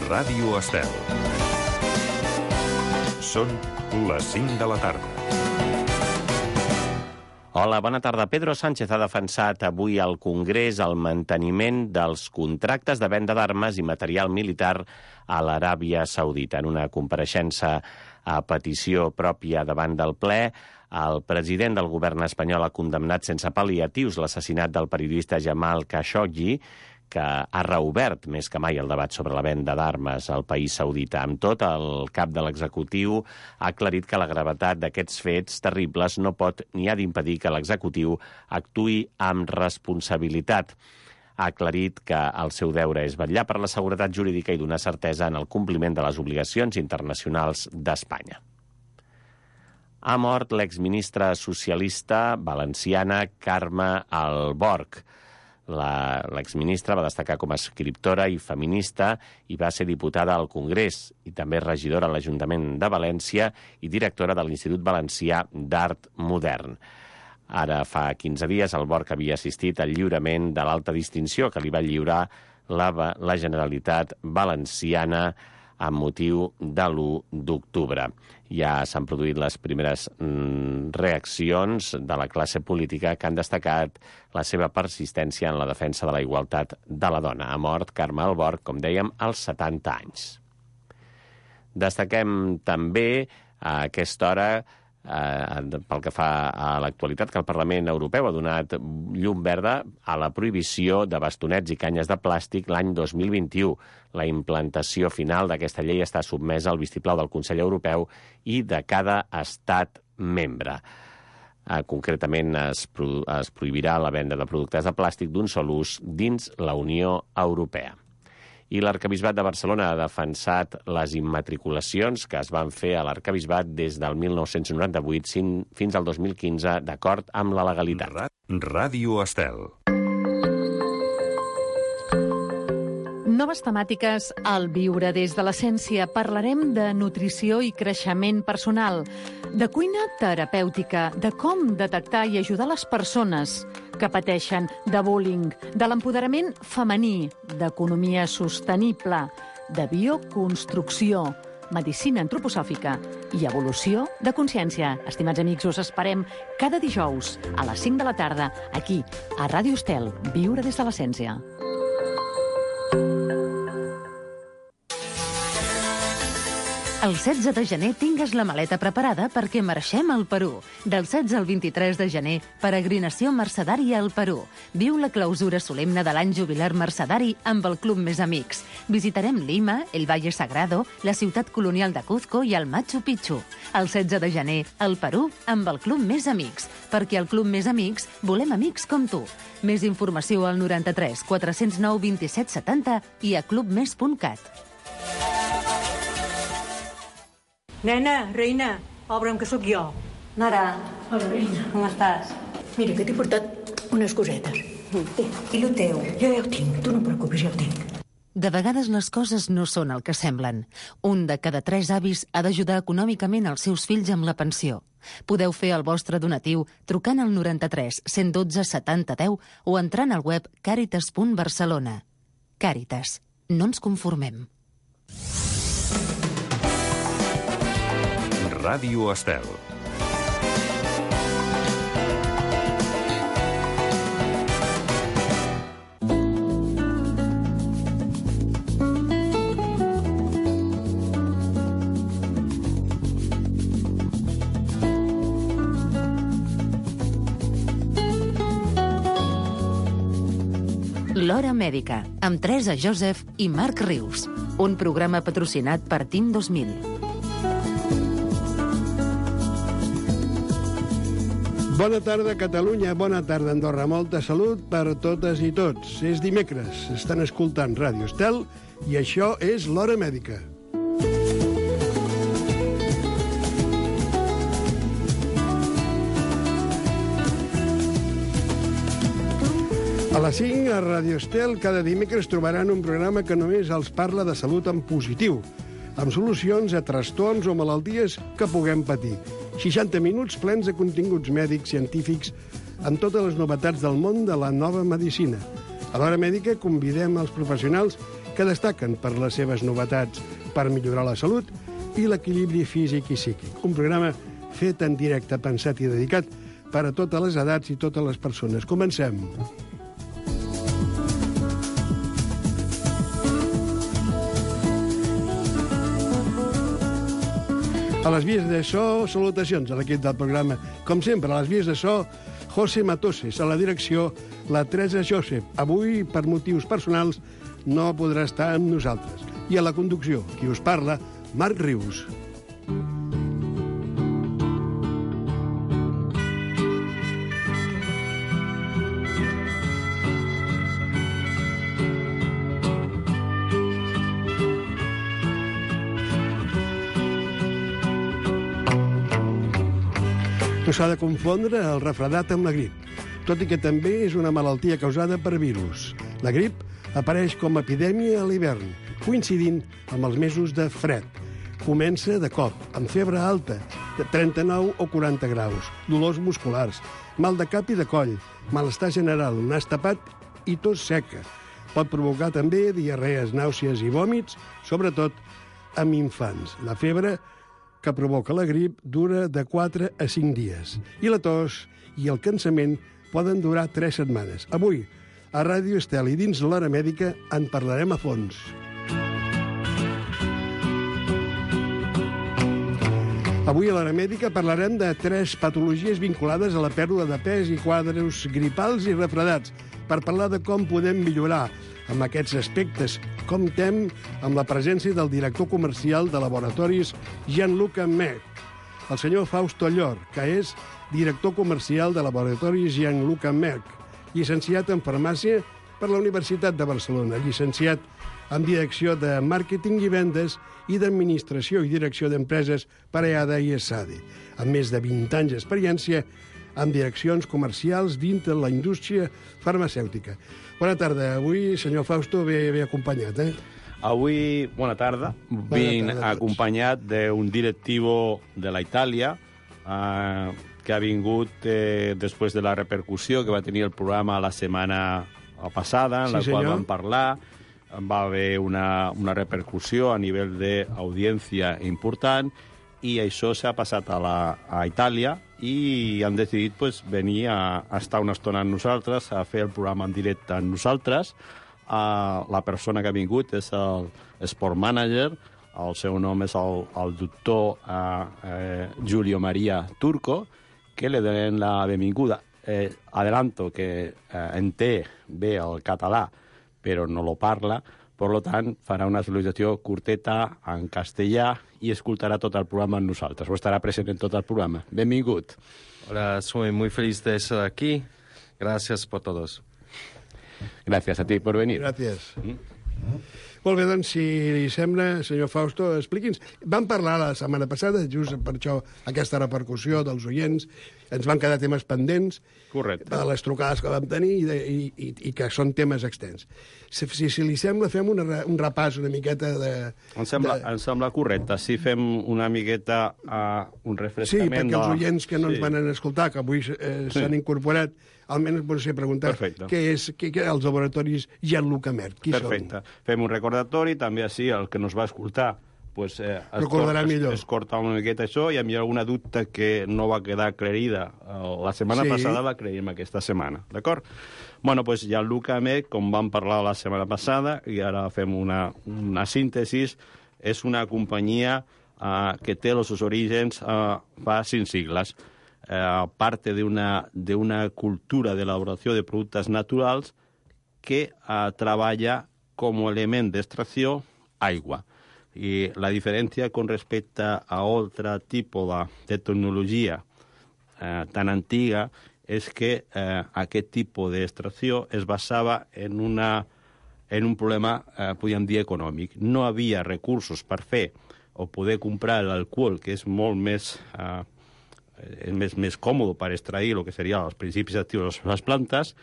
Ràdio Estel. Són les 5 de la tarda. Hola, bona tarda. Pedro Sánchez ha defensat avui al Congrés el manteniment dels contractes de venda d'armes i material militar a l'Aràbia Saudita. En una compareixença a petició pròpia davant del ple, el president del govern espanyol ha condemnat sense pal·liatius l'assassinat del periodista Jamal Khashoggi, que ha reobert més que mai el debat sobre la venda d'armes al país saudita. Amb tot, el cap de l'executiu ha aclarit que la gravetat d'aquests fets terribles no pot ni ha d'impedir que l'executiu actuï amb responsabilitat. Ha aclarit que el seu deure és vetllar per la seguretat jurídica i donar certesa en el compliment de les obligacions internacionals d'Espanya. Ha mort l'exministra socialista valenciana Carme Alborch. L'exministra va destacar com a escriptora i feminista i va ser diputada al Congrés i també regidora a l'Ajuntament de València i directora de l'Institut Valencià d'Art Modern. Ara fa 15 dies Alborch havia assistit al lliurament de l'alta distinció que li va lliurar la Generalitat Valenciana amb motiu de l'1 d'octubre. Ja s'han produït les primeres reaccions de la classe política que han destacat la seva persistència en la defensa de la igualtat de la dona. Ha mort Carme Alborch, com dèiem, als 70 anys. Destaquem també a aquesta hora, pel que fa a l'actualitat, que el Parlament Europeu ha donat llum verda a la prohibició de bastonets i canyes de plàstic l'any 2021. La implantació final d'aquesta llei està sotmesa al vistiplau del Consell Europeu i de cada estat membre. Concretament, es prohibirà la venda de productes de plàstic d'un sol ús dins la Unió Europea. I l'Arquebisbat de Barcelona ha defensat les immatriculacions que es van fer a l'Arquebisbat des del 1998 fins al 2015, d'acord amb la legalitat. Ràdio Estel. Noves temàtiques al Viure des de l'Essència. Parlarem de nutrició i creixement personal, de cuina terapèutica, de com detectar i ajudar les persones que pateixen de bullying, de l'empoderament femení, d'economia sostenible, de bioconstrucció, medicina antroposòfica i evolució de consciència. Estimats amics, us esperem cada dijous a les 5 de la tarda, aquí, a Ràdio Estel, Viure des de l'Essència. El 16 de gener tingues la maleta preparada perquè marxem al Perú. Del 16 al 23 de gener, peregrinació mercedària al Perú. Viu la clausura solemne de l'any jubilar mercedari amb el Club Més Amics. Visitarem Lima, el Valle Sagrado, la ciutat colonial de Cuzco i el Machu Picchu. El 16 de gener, al Perú, amb el Club Més Amics. Perquè al Club Més Amics volem amics com tu. Més informació al 93 409 27 70 i a clubmes.cat. Nena, reina, obre'm que sóc jo. Nara. Hola, reina. Com estàs? Mira, que t'he portat unes cosetes. I lo teu? Jo ja ho tinc, tu no et preocupis, ja ho tinc. De vegades les coses no són el que semblen. Un de cada 3 avis ha d'ajudar econòmicament els seus fills amb la pensió. Podeu fer el vostre donatiu trucant al 93 112 70 10 o entrant al web caritas.barcelona. Càritas. No ens conformem. Ràdio Estel. L'Hora Mèdica, amb Teresa Joseph i Marc Rius. Un programa patrocinat per Team 2000. Bona tarda, Catalunya. Bona tarda, Andorra. Molta salut per totes i tots. És dimecres. Estan escoltant Ràdio Estel i això és l'Hora Mèdica. A les 5, a Ràdio Estel, cada dimecres trobaran un programa que només els parla de salut en positiu, amb solucions a trastorns o malalties que puguem patir. 60 minuts plens de continguts mèdics, científics, amb totes les novetats del món de la nova medicina. A l'Hora Mèdica convidem els professionals que destaquen per les seves novetats per millorar la salut i l'equilibri físic i psíquic. Un programa fet en directe, pensat i dedicat per a totes les edats i totes les persones. Comencem. A les vies de so, salutacions a l'equip del programa. Com sempre, a les vies de so, José Matoses. A la direcció, la Teresa Josep. Avui, per motius personals, no podrà estar amb nosaltres. I a la conducció, qui us parla, Marc Rius. No s'ha de confondre el refredat amb la grip, tot i que també és una malaltia causada per virus. La grip apareix com a epidèmia a l'hivern, coincidint amb els mesos de fred. Comença de cop, amb febre alta, de 39 o 40 graus, dolors musculars, mal de cap i de coll, malestar general, nas tapat i tos seca. Pot provocar també diarrees, nàusees i vòmits, sobretot amb infants. La febre que provoca la grip dura de 4 a 5 dies. I la tos i el cansament poden durar 3 setmanes. Avui, a Ràdio Estel i dins l'Hora Mèdica, en parlarem a fons. Avui a l'Hora Mèdica parlarem de 3 patologies vinculades a la pèrdua de pes i quadres gripals i refredats, per parlar de com podem millorar amb aquests aspectes. Comptem amb la presència del director comercial de laboratoris Gianluca Merck, el senyor Fausto Llor, que és director comercial de laboratoris Gianluca Merck, llicenciat en farmàcia per la Universitat de Barcelona, llicenciat en direcció de màrqueting i vendes i d'administració i direcció d'empreses per EADA i ESADE, amb més de 20 anys d'experiència en direccions comercials dins de la indústria farmacèutica. Bona tarda. Avui, senyor Fausto, ve acompanyat, eh? Avui, bona tarda. Vinc acompanyat d'un directivo de la Itàlia que ha vingut després de la repercussió que va tenir el programa la setmana passada, en la qual vam parlar. Va haver una repercussió a nivell d'audiència important i això s'ha passat a Itàlia i han decidit venir a estar una estona amb nosaltres, a fer el programa en directe amb nosaltres. La persona que ha vingut és el Sport Manager, el seu nom és el doctor Giulio Maria Turco, que li donem la benvinguda. Adelanto que entén bé el català, però no lo parla, per tant, farà una salutació curteta en castellà i escoltarà tot el programa amb nosaltres, o estarà present en tot el programa. Benvingut. Hola, soy muy feliz de estar aquí. Gracias por todos. Gràcies a ti per venir. Gràcies. Molt bé, doncs, si li sembla, senyor Fausto, expliqui'ns. Vam parlar la setmana passada, just per això, aquesta repercussió dels oients, ens van quedar temes pendents. Correcte. De les trucades que vam tenir i que són temes extens. Si li sembla, fem un repàs una miqueta de... Em sembla correcte. Si fem una miqueta un refrescament... Sí, perquè els oients que no ens van escoltar, que avui s'han incorporat, almenys potser preguntar què és els laboratoris Gianluca Merck. Qui Perfecte. són? Fem un recordatori, també així el que nos va escoltar recordarà millor. Es corta una miqueta això i hi ha alguna dubte que no va quedar aclarida la setmana passada, la aclarim aquesta setmana, d'acord? Bueno, doncs Gianluca Merck, com vam parlar la setmana passada, i ara fem una síntesi, és una companyia que té els seus orígens fa 5 sigles. Parte de una cultura de elaboració de productes naturals que treballa com a element d'extracció aigua. Y la diferencia con respecto a otro tipo de tecnología tan antigua es que aquest tipus d'extracció es basava en un problema, podríem dir, econòmic. No havia recursos per fer o poder comprar l'alcohol, que és molt més còmode per extrair el que serien els principis actius de les plantes,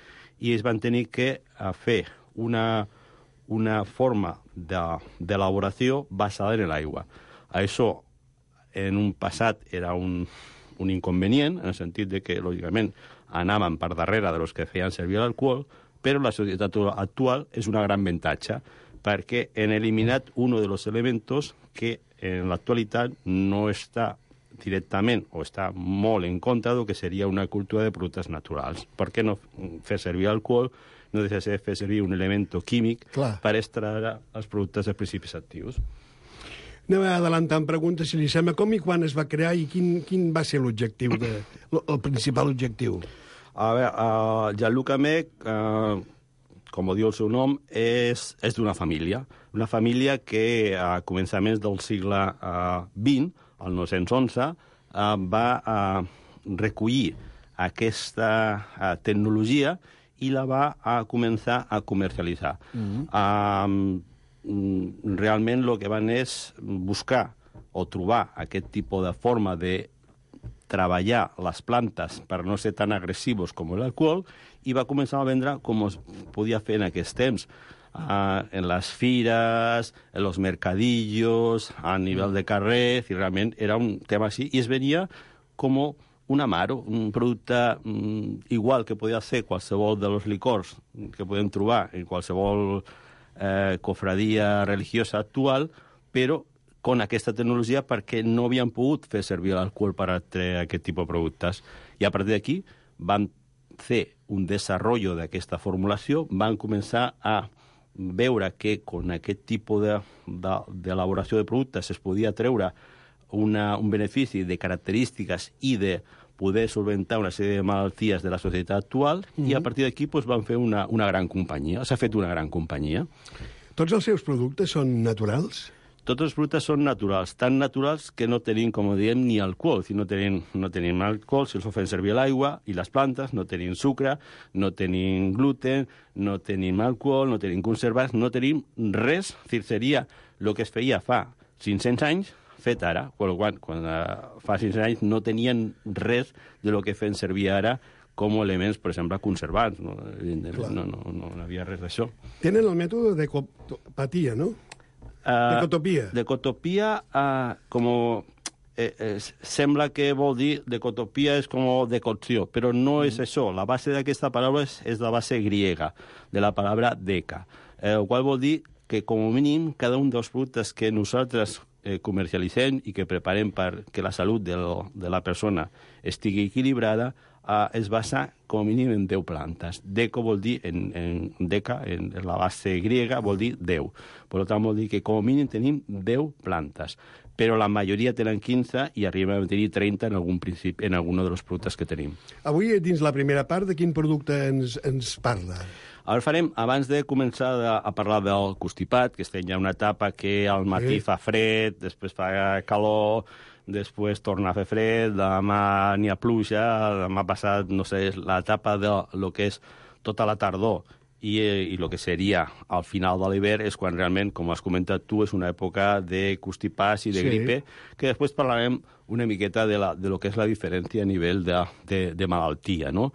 i es van tenir que fer una forma d'elaboració basada en l'aigua. Això, en un passat, era un inconvenient, en el sentit de que, lògicament, anaven per darrere de los que feien servir l'alcohol, però la societat actual és una gran avantatge, perquè han eliminat un dels elements que en l'actualitat no està directament o està molt en contra del que seria una cultura de productes naturals. Per què no fer servir alcohol? No deixa de fer servir un element químic per extraure els productes de principis actius. Anem adelantant preguntes, si li sembla, com i quan es va crear i quin va ser l'objectiu, el principal objectiu? A veure, Jean-Luc Amec, com diu el seu nom, és d'una família. Una família que a començaments del segle XX, el 1911, va recollir aquesta tecnologia i la va començar a comercialitzar. Realment el que van és buscar o trobar aquest tipus de forma de treballar les plantes per no ser tan agressius com l'alcohol i va començar a vendre com es podia fer en aquests temps, en les fires, en los mercadillos, a nivell de carrer, i realment era un tema així, i es venia com un amaro, un producte igual que podia ser qualsevol dels licors que podem trobar en qualsevol cofradia religiosa actual, però con aquesta tecnologia perquè no havien pogut fer servir l'alcohol per a treure aquest tipus de productes. I a partir d'aquí van fer un desenvolupament d'aquesta formulació, van començar a veure que con aquest tipus d'elaboració de productes es podia treure un benefici de característiques i de poder solventar una sèrie de malalties de la societat actual, i a partir d'aquí van fer una gran companyia. S'ha fet una gran companyia. Tots els seus productes són naturals? Tots els productes són naturals, tan naturals que no tenim, com diem, ni alcohol. Si no tenim alcohol, si els fem servir l'aigua i les plantes, no tenim sucre, no tenim gluten, no tenim alcohol, no tenim conservants, no tenim res. Seria el que es feia fa 500 anys, fet ara, quan fa 500 anys no tenien res de lo que fem servir ara com elements, per exemple, conservants. No havia res d'això. Tenen el mètode d'ecopatia, no? D'ecotopia. D'ecotopia, sembla que vol dir d'ecotopia és com decocció, però no és això. La base d'aquesta paraula és la base griega, de la paraula deca, el qual vol dir que, com a mínim, cada un dels productes que nosaltres comercialitzem i que preparem perquè la salut de la persona estigui equilibrada es basa com a mínim en 10 plantes. Deco vol dir, en deca, en la base griega, vol dir 10. Per tant, vol dir que com a mínim tenim 10 plantes. Però la majoria tenen 15 i arribem a tenir 30 en algun dels productes que tenim. Avui, dins la primera part, de quin producte ens parla? Ara farem, abans de començar a parlar del constipat, que estem ja en una etapa que al matí fa fred, després fa calor, després torna a fer fred, demà n'hi ha pluja, demà passat, no sé, l'etapa de lo que és tota la tardor i el que seria al final de l'hivern és quan realment, com has comentat tu, és una època de constipats i de gripe, que després parlarem una miqueta de lo que és la diferència a nivell de malaltia, no?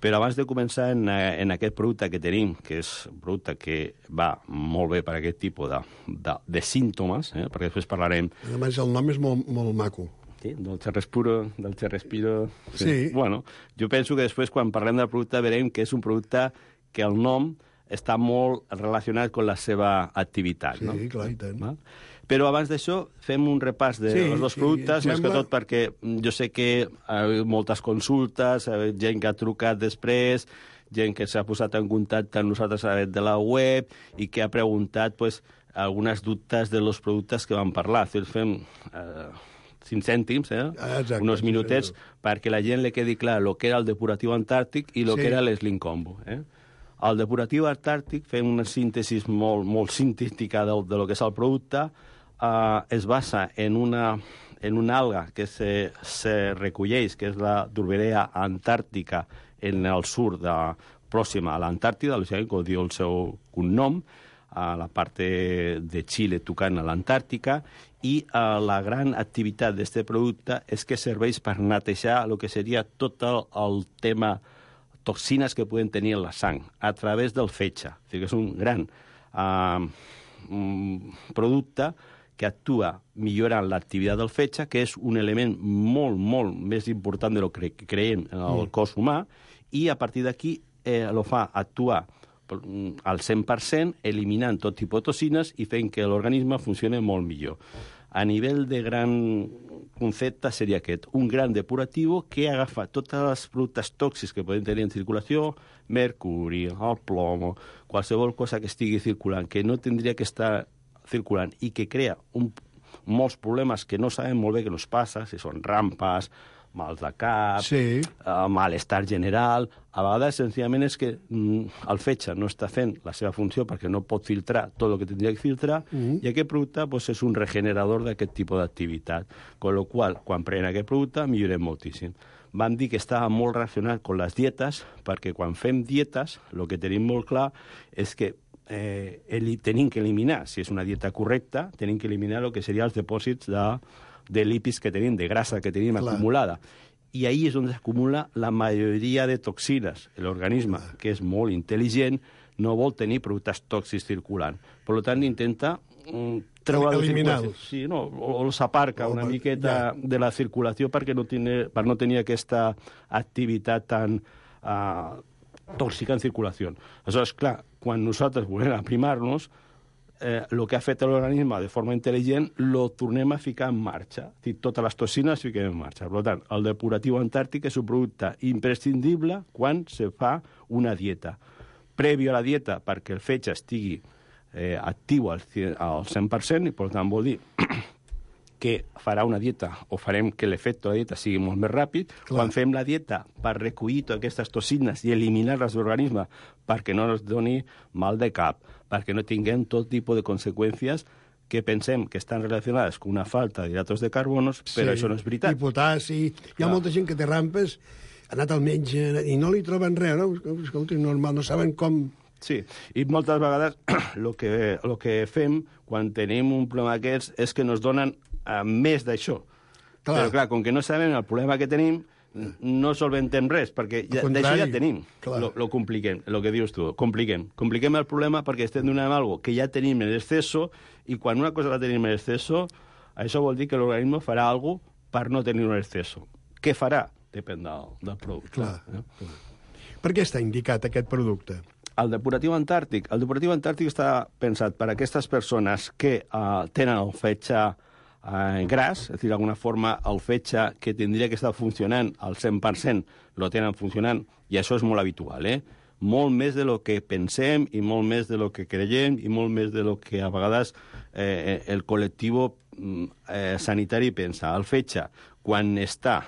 Però abans de començar en aquest producte que tenim, que és un producte que va molt bé per aquest tipus de símptomes, perquè després parlarem... A més, el nom és molt maco. Sí, del Respiro. Sí. Bueno, jo penso que després, quan parlem del producte, veurem que és un producte que el nom està molt relacionat amb la seva activitat. Sí, clar, i tant. Va? Però abans d'això fem un repàs dels dos productes, més que tot perquè jo sé que hi ha moltes consultes, gent que ha trucat després, gent que s'ha posat en contacte amb nosaltres a través de la web i que ha preguntat algunes dubtes dels productes que vam parlar. Fem 5 cèntims, uns minutets, perquè la gent li quedi clar el que era el depuratiu antàrtic i el que era l'Slim Combo. El depuratiu antàrtic, fem una síntesi molt sintètica del que és el producte, es basa en una alga que se recolleix, que és la Durberea antàrtica en el sud pròxima a l'Antàrtida, com diu el seu cognom, a la part de Xile tocant a l'Antàrtica, i la gran activitat d'aquest producte és que serveix per netejar el que seria tot el tema toxines que poden tenir en la sang a través del fetge. O sigui que és un gran producte que actua millorant l'activitat del fetge, que és un element molt, molt més important del que creiem en el cos humà, i a partir d'aquí el fa actuar al 100%, eliminant tot tipus de toxines i fent que l'organisme funcioni molt millor. A nivell de gran concepte seria aquest, un gran depuratiu que agafa totes les productes tòxics que poden tenir en circulació, mercuri, el plomo, qualsevol cosa que estigui circulant, que no tindria que estar circulant i que crea molts problemes que no sabem molt bé què ens passa, si són rampes, mals de cap, malestar general. A vegades, senzillament, és que el fetge no està fent la seva funció perquè no pot filtrar tot el que tindria que filtrar i aquest producte és un regenerador d'aquest tipus d'activitat. Con lo qual, quan prenem aquest producte, millorem moltíssim. Vam dir que estava molt relacionat amb les dietes, perquè quan fem dietes, el que tenim molt clar és que tenim que eliminar, si és una dieta correcta, tenim que eliminar el que serien els dipòsits de lípids que tenim, de grasa que tenim acumulada. I ahí és on s'acumula la majoria de toxines. L'organisme, que és molt intel·ligent, no vol tenir productes tòxics circulant. Per tant, intenta eliminar-los. Sí, no? O els aparca una miqueta de la circulació per no tenir aquesta activitat tan tòxica en circulació. Aleshores, clar, quan nosaltres volem aprimar-nos, el que ha fet l'organisme de forma intel·ligent lo tornem a ficar en marxa. És a dir, totes les toxines es fiquen en marxa. Per tant, el depuratiu antàrtic és un producte imprescindible quan se fa una dieta. Prèvio a la dieta, perquè el fetge estigui actiu al 100%, i per tant vol dir que farà una dieta o farem que l'efecte de la dieta sigui molt més ràpid. Quan fem la dieta per recollir totes aquestes toxines i eliminar-les de l'organisme perquè no ens doni mal de cap, perquè no tinguem tot tipus de conseqüències que pensem que estan relacionades amb una falta d'hidratos de carbonos, però això no és veritat. I potassi. Hi ha molta gent que té rampes, ha anat al metge i no li troben res, no? Escolta, és normal, no saben com... Sí, i moltes vegades el que fem quan tenim un problema d'aquests és que ens donen més d'això. Però, clar, com que no sabem el problema que tenim, no solventem res, perquè d'això ja tenim. Lo compliquem, el que dius tu, compliquem. Compliquem el problema perquè estem donant alguna cosa que ja tenim en exceso, i quan una cosa la tenim en exceso, això vol dir que l'organisme farà alguna cosa per no tenir un exceso. Què farà? Depèn del producte. Per què està indicat aquest producte? El depuratiu antàrtic està pensat per a aquestes persones que tenen el fetge gras, és a dir, d'alguna forma el fetge que tindria que estar funcionant al 100% lo tenen funcionant, i això és molt habitual, molt més de lo que pensem i molt més de lo que creiem i molt més de lo que a vegades el col·lectiu sanitari pensa. El fetge, quan està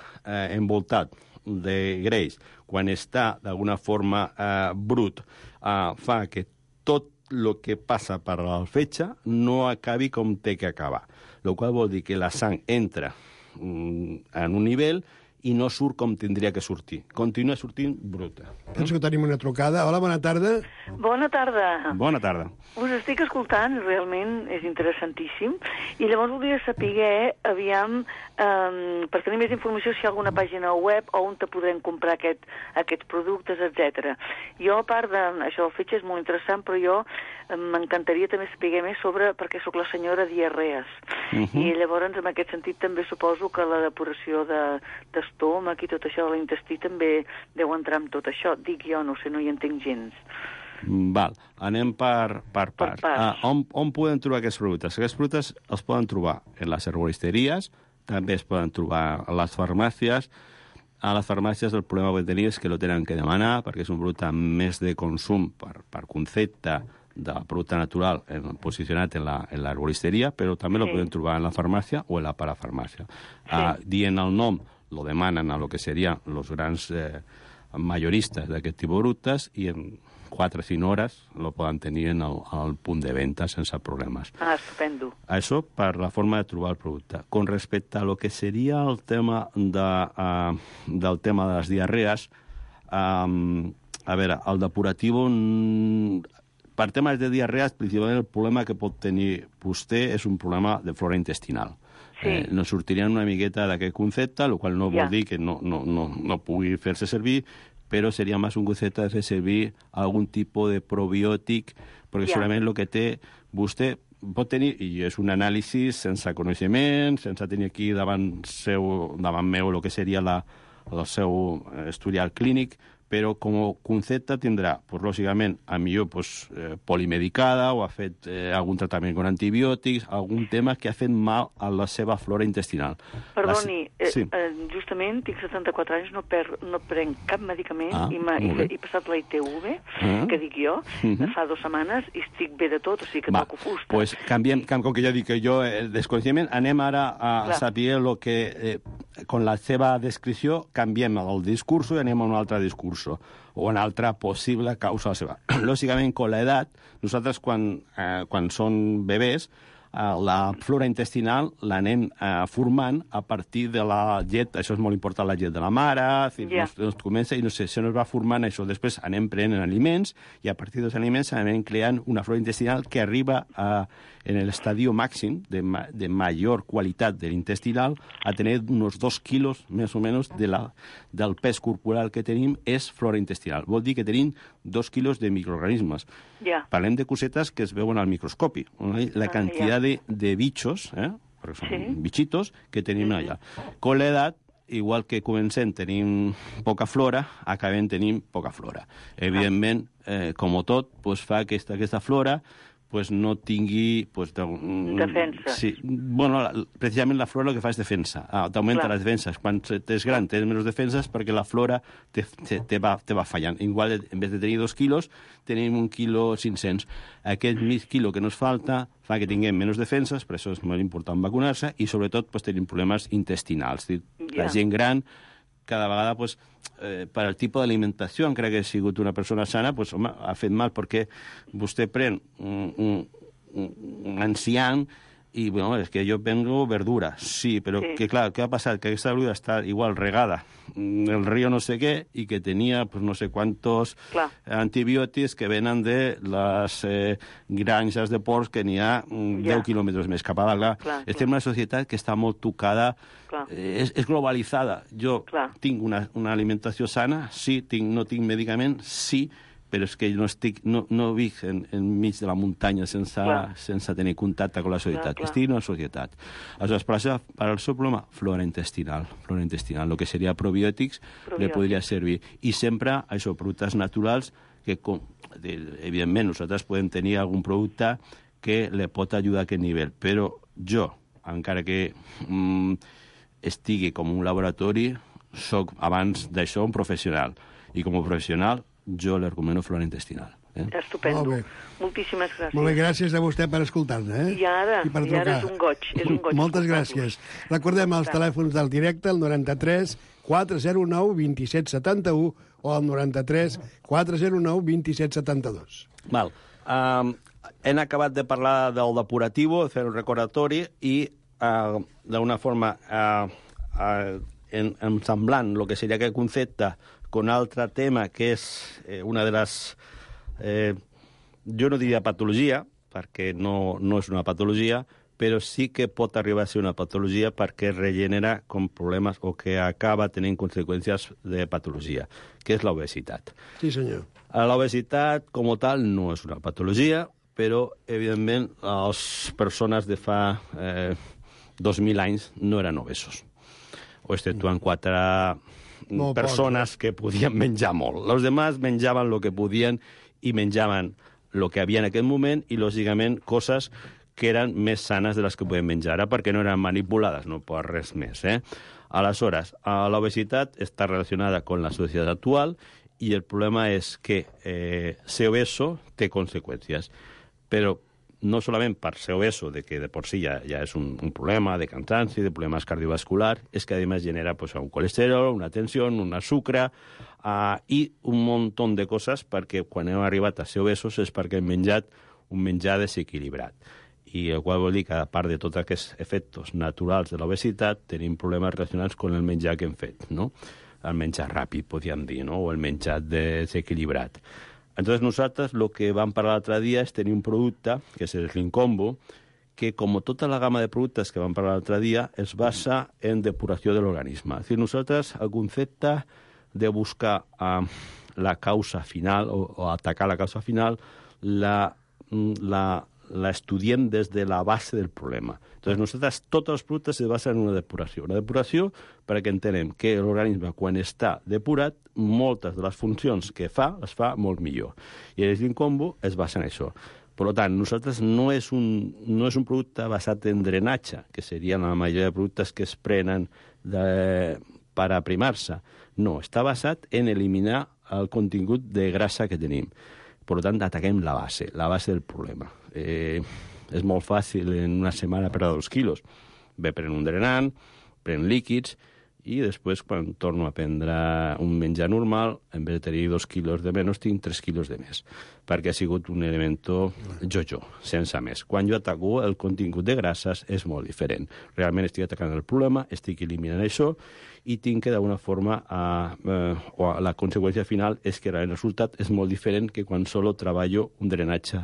envoltat de greix, quan està d'alguna forma brut, fa que tot el que passa per al fetge no acabi com té que acabar. El qual vol dir que la sang entra en un nivell i no surt com tindria que sortir. Continua sortint bruta. Penso que tenim una trucada. Hola, bona tarda. Bona tarda. Bona tarda. Us estic escoltant, realment és interessantíssim, i llavors voldria saber, aviam, per tenir més informació, si hi ha alguna pàgina web on te podrem comprar aquests productes, etc. Jo, a part d'això, el fetge és molt interessant, però jo m'encantaria també saber més sobre, perquè sóc la senyora diarrees, i llavors, en aquest sentit, també suposo que la depuració d'estómac i tot això de l'intestí també deu entrar amb tot això. Dic jo, no sé, no hi entenc gens. Val, anem per parts. On podem trobar aquests productes? Aquests productes els poden trobar en les herboristeries, també es poden trobar a les farmàcies. A les farmàcies el problema que tenen és que lo tenen que demanar, perquè és un producte més de consum per concepte de producte natural posicionat en l'herboristeria, però també lo podem trobar en la farmàcia o en la parafarmàcia. Dient el nom, lo demanen a lo que serien els grans majoristes d'aquest tipus de productes i en 4 o 5 hores lo poden tenir al punt de venda sense problemes. Estupendo. Això per la forma de trobar el producte. Con respecte a lo que seria el tema del tema de les diarrees, a veure, el depuratiu, per temes de diarrees, principalment el problema que pot tenir vostè és un problema de flora intestinal. Nos sortirien una miqueta d'aquest concepte, el qual no vol dir que no pugui fer-se servir, però seria més un concepte de fer servir algun tipus de probiòtic, perquè segurament el que té vostè pot tenir, i és un anàlisi sense coneixement, sense tenir aquí davant meu el que seria el seu historial clínic, però com a concepte tindrà, pues, lògicament, a millor pues, polimedicada o ha fet algun tractament amb antibiòtics, algun tema que ha fet mal a la seva flora intestinal. Perdoni, sí. Justament tinc 74 anys, no prenc cap medicament i he passat la ITV, que dic jo, fa 2 setmanes i estic bé de tot, o sigui que toco fusta. Pues canviem, com que ja dic que jo el desconeixement, anem ara a saber lo que, con la seva descripció, canviem el discurso i anem a un altre discurso o una altra possible causa seva. Lògicament, amb l'edat, nosaltres quan són bebès, la flora intestinal l'anem formant a partir de la llet, això és molt important, la llet de la mare, comença i no sé, se nos va formant això. Després anem prenent aliments i a partir dels aliments anem creant una flora intestinal que arriba en l'estadio màxim de major qualitat de l'intestinal a tenir uns 2 quilos més o menys del pes corporal que tenim és flora intestinal. Vol dir que tenim 2 quilos de microorganismes. Parlem de cosetes que es veuen al microscopi. La quantitat de bichos, bichitos, que tenim allà. Con l'edat, igual que comencem tenim poca flora, acabem tenint poca flora. Evidentment, com tot, fa que aquesta flora no tingui... defensa. Sí. Bueno, precisament la flora el que fa és defensa. T'augmenta les defenses. Quan és gran tens menys defenses perquè la flora te va fallant. Igual, en vez de tenir 2 quilos, tenim 1,5 kg. Aquest mig quilo que nos falta fa que tinguem menys defenses, per això és molt important vacunar-se, i sobretot tenim problemes intestinals. La gent gran cada vegada, per al tipus d'alimentació, encara que ha sigut una persona sana, ha fet mal, perquè vostè pren un ancià i, és que jo vengo verdura, sí, però que, clar, què ha passat? Que aquesta verdura està igual regada el río no sé què i que tenia no sé quantos antibiòtics que venen de les granges de porcs que n'hi ha 10 quilòmetres més cap a dalt. Estem en una societat que està molt tocada, és globalitzada. Jo tinc una alimentació sana, sí, no tinc medicament, sí, però és que no vic enmig de la muntanya sense tenir contacte amb la societat. Estic en una societat. Aleshores, per al seu problema, flora intestinal. El que seria probiòtics li podria servir. I sempre, això, productes naturals que, evidentment, nosaltres podem tenir algun producte que li pot ajudar a aquest nivell. Però jo, encara que estigui com un laboratori, soc, abans d'això, un professional. I com a professional, jo li recomano flora intestinal. Estupendo. Moltíssimes gràcies. Molt bé, gràcies a vostè per escoltar-nos. I ara és un goig. Moltes gràcies. Recordem els telèfons del directe, el 93 409 2771 o el 93 409 2772. Val. Hem acabat de parlar del depurativo, de fer un recordatori i d'una forma semblant el que seria aquest concepte con altre tema que és una de les... jo no diria patologia, perquè no és una patologia, però sí que pot arribar a ser una patologia perquè regenera com problemes o que acaba tenint conseqüències de patologia, que és l'obesitat. Sí, senyor. L'obesitat, com a tal, no és una patologia, però, evidentment, les persones de fa 2.000 anys no eren obesos. O exceptuant 4... persones que podien menjar molt. Els demás menjaven el que podien i menjaven el que havia en aquest moment i, lògicament, coses que eren més sanes de les que podem menjar ara perquè no eren manipulades, no per res més. Aleshores, l'obesitat està relacionada amb la societat actual i el problema és que ser obeso té conseqüències. Però no solament per ser obeso, de que de por sí ja és un problema de cansanci, de problemes cardiovasculars, és que a més genera un colesterol, una tensió, un sucre i un munt de coses perquè quan hem arribat a ser obesos és perquè hem menjat un menjar desequilibrat. I el qual vol dir que, a part de tots aquests efectes naturals de l'obesitat, tenim problemes relacionats amb el menjar que hem fet, no? El menjar ràpid, podríem dir, no? O el menjar desequilibrat. Entonces nosaltres el que vam parlar l'altre dia és tenir un producte, que és el Slim Combo, que com tota la gamma de productes que vam parlar l'altre dia es basa en depuració de l'organisme. És a dir, nosaltres el concepte de buscar la causa final o atacar la causa final la estudiem des de la base del problema. Entonces, nosaltres, tots els productes se basen en una depuració. Una depuració perquè entenem que l'organisme, quan està depurat, moltes de les funcions que fa, les fa molt millor. I el Slim Combo es basa en això. Per tant, nosaltres no és un producte basat en drenatge, que serien la majoria de productes que es prenen per aprimar-se. No, està basat en eliminar el contingut de grassa que tenim. Per tant, ataquem la base del problema. És molt fàcil en una setmana perdre 2 quilos. Ve pren un drenant, pren líquids, i després, quan torno a prendre un menjar normal, en vez de tenir 2 quilos de menys, tinc 3 quilos de més, perquè ha sigut un elemento jo-jo, sense més. Quan jo ataco el contingut de grasses és molt diferent. Realment estic atacant el problema, estic eliminant això, i tinc que d'alguna forma, la conseqüència final és que el resultat és molt diferent que quan solo treballo un drenatge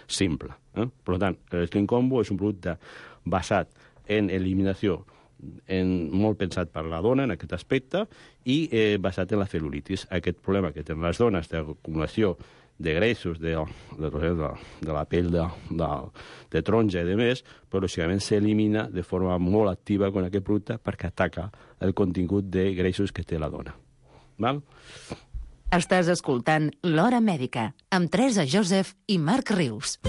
simple. Per tant, el Slim Combo és un producte basat en eliminació, molt pensat per la dona en aquest aspecte, i basat en la cel·lulitis. Aquest problema que tenen les dones d'acumulació de greixos de la pell de taronja i de més, però lògicament s'elimina de forma molt activa amb aquest producte perquè ataca el contingut de greixos que té la dona. Val? Estàs escoltant L'Hora Mèdica amb Teresa Joseph i Marc Rius.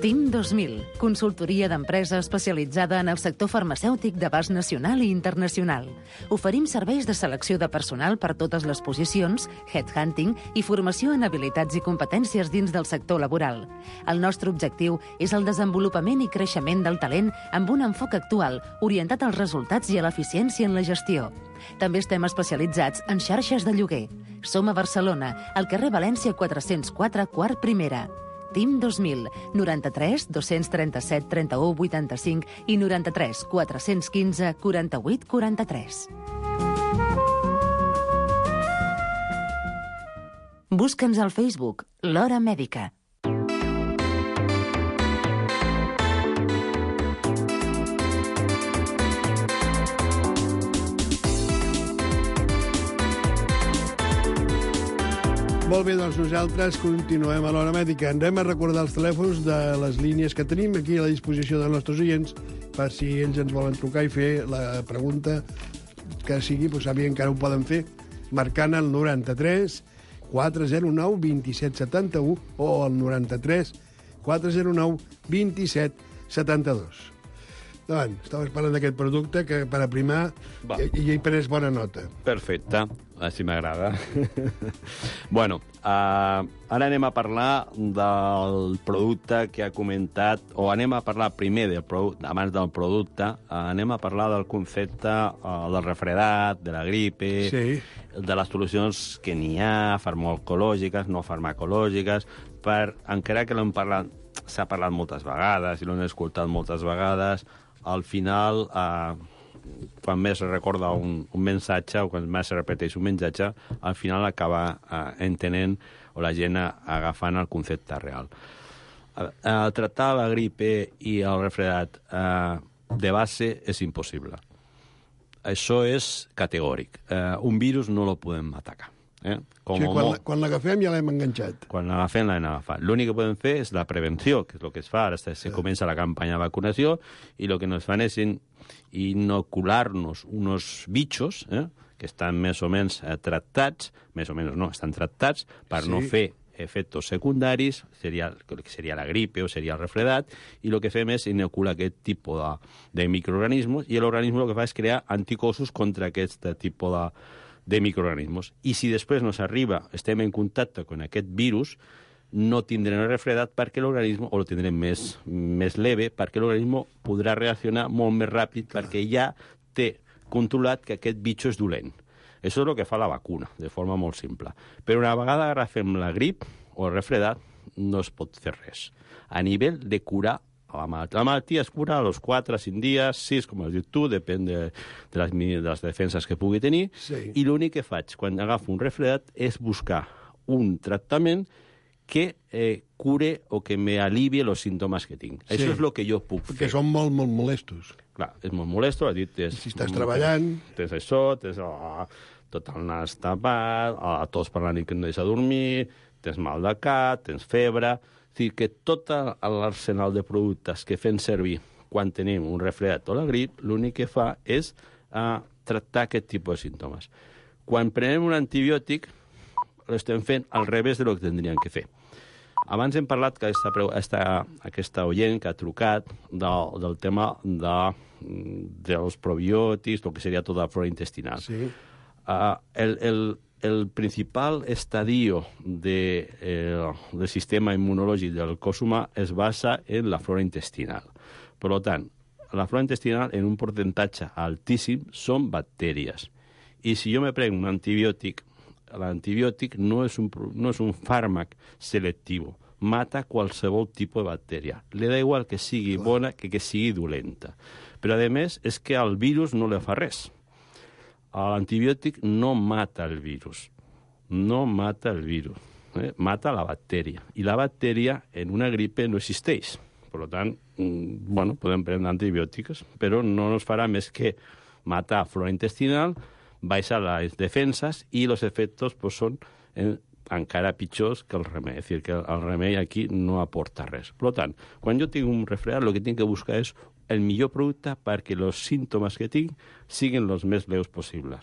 TIM 2000, consultoria d'empresa especialitzada en el sector farmacèutic d'abast nacional i internacional. Oferim serveis de selecció de personal per totes les posicions, headhunting i formació en habilitats i competències dins del sector laboral. El nostre objectiu és el desenvolupament i creixement del talent amb un enfoc actual, orientat als resultats i a l'eficiència en la gestió. També estem especialitzats en xarxes de lloguer. Som a Barcelona, al carrer València 404, quart primera. TIM 2000, 93 237 31 85 i 93 415 48 43. Busca'ns al Facebook, L'Hora Mèdica. Molt bé, doncs nosaltres continuem a l'Hora Mèdica. Anem a recordar els telèfons de les línies que tenim aquí a la disposició dels nostres oients per si ells ens volen trucar i fer la pregunta que sigui, doncs sàpiguen que ara ho poden fer marcant el 93 409 27 71 o el 93 409 27 72. Davant, estaves parlant d'aquest producte que per aprimar i he pres bona nota. Perfecte, així m'agrada. Bueno, ara anem a parlar del producte que ha comentat, o anem a parlar primer del producte, abans del producte, anem a parlar del concepte del refredat, de la gripe, sí, de les solucions que n'hi ha, farmacològiques, no farmacològiques, encara que l'hem parlat, s'ha parlat moltes vegades i l'hem escoltat moltes vegades, al final, quan més es recorda un missatge o quan més es repeteix un missatge, al final acaba entenent o la gent agafant el concepte real. Tractar la gripe i el refredat de base és impossible. Això és categòric. Un virus no lo podem atacar. Sí, quan l'agafem ja l'hem enganxat. Quan l'agafem l'hem agafat. L'únic que podem fer és la prevenció, que és el que es fa. Ara se comença la campanya de vacunació i el que ens fan és inocular-nos uns bitxos que estan més o menys tractats, més o menys no, estan tractats per no fer efectes secundaris, que seria la gripe o seria el refredat, i el que fem és inocular aquest tipus de microorganismes i l'organisme el que fa és crear anticossos contra aquest tipus de microorganismes. I si després no s'arriba, estem en contacte amb aquest virus, no tindrem el refredat perquè l'organisme, o lo tindrem més leve, perquè l'organisme podrà reaccionar molt més ràpid perquè ja té controlat que aquest bitxo és dolent. Això és el que fa la vacuna, de forma molt simple. Però una vegada agafem la grip o el refredat, no es pot fer res. A nivell de curar la malaltia es cura a los 4 a 5 dies, 6, com has dit tu, depèn de les defenses que pugui tenir, i l'únic que faig quan agafo un refredat és buscar un tractament que cure o que me alivie els símptomes que tinc. Això és el que jo puc fer. Perquè són molt, molt molestos. Clar, és molt molesto, has dit... Si estàs treballant... Tens això, tens tot el nas tapat, tos per la nit que no deixa dormir, tens mal de cap, tens febre... És a dir, que tot l'arsenal de productes que fem servir quan tenim un resfriat o la grip, l'únic que fa és tractar aquest tipus de símptomes. Quan prenem un antibiòtic, l'estem fent al revés del que tindríem que fer. Abans hem parlat que aquesta oient que ha trucat del tema dels probiòtics, el que seria tota la flora intestinal. Sí. El principal estadio del sistema immunològic del cos humà es basa en la flora intestinal. Per tant, la flora intestinal, en un percentatge altíssim, són bactèries. I si jo me prenc un antibiòtic, l'antibiòtic no és un fàrmac selectiu. Mata qualsevol tipus de bactèria. Li da igual que sigui bona que sigui dolenta. Però, a més, és que al virus no li fa res. L'antibiòtic no mata el virus. No mata el virus. Mata la bactèria. I la bactèria en una gripe no existeix. Per tant, podem prendre antibiòtics, però no ens farà més que matar flora intestinal, baixar les defenses i els efectes són encara pitjors que el remei. És a dir, que el remei aquí no aporta res. Per tant, quan jo tinc un resfriat, el que tinc que buscar és el millor producte perquè els símptomes que tinc siguin els més lleus possibles.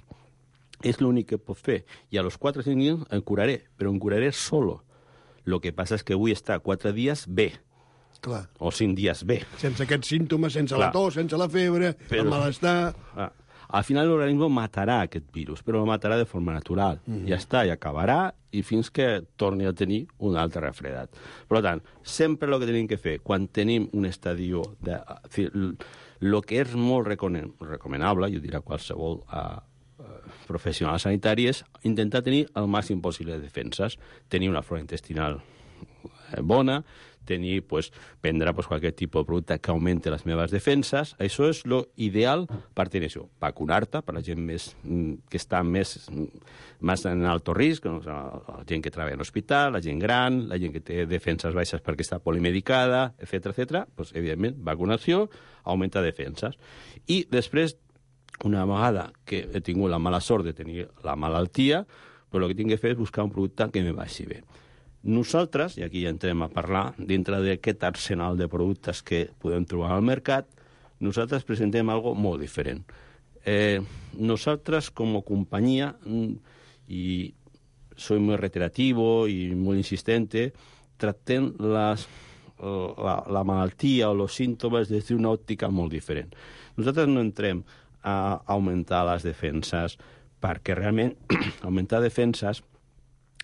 És l'únic que puc fer. I a los 4 o 5 dies em curaré, però em curaré solo. El que passa és que vull estar 4 dies bé. Clar. O 5 dies bé. Sense aquests símptomes, sense la tos, sense la febre, el malestar... Al final l'organisme matarà aquest virus, però el matarà de forma natural. Ja està, i acabarà, i fins que torni a tenir un altre refredat. Per tant, sempre el que tenim que fer, quan tenim un estadio... El que és molt recomanable, jo diria qualsevol professional sanitari, és intentar tenir el màxim possible de defenses. Tenir una flora intestinal bona, prendre qualsem tipus de producte que augmenti les meves defenses. Això és l'ideal per tenir això. Vacunar-te per la gent que està més en alto risc, la gent que treballa en l'hospital, la gent gran, la gent que té defenses baixes perquè està polimedicada, etc. Evidentment, vacunació augmenta defenses. I després, una vegada que he tingut la mala sort de tenir la malaltia, el que tinc que fer és buscar un producte que me vagi bé. Nosaltres, i aquí ja entrem a parlar, dintre d'aquest arsenal de productes que podem trobar al mercat, nosaltres presentem algo molt diferent. Nosaltres, com a companyia, i soy muy reiterativo y muy insistente, tractem la malaltia o els símptomes des d'una òptica molt diferent. Nosaltres no entrem a augmentar les defenses perquè realment augmentar defenses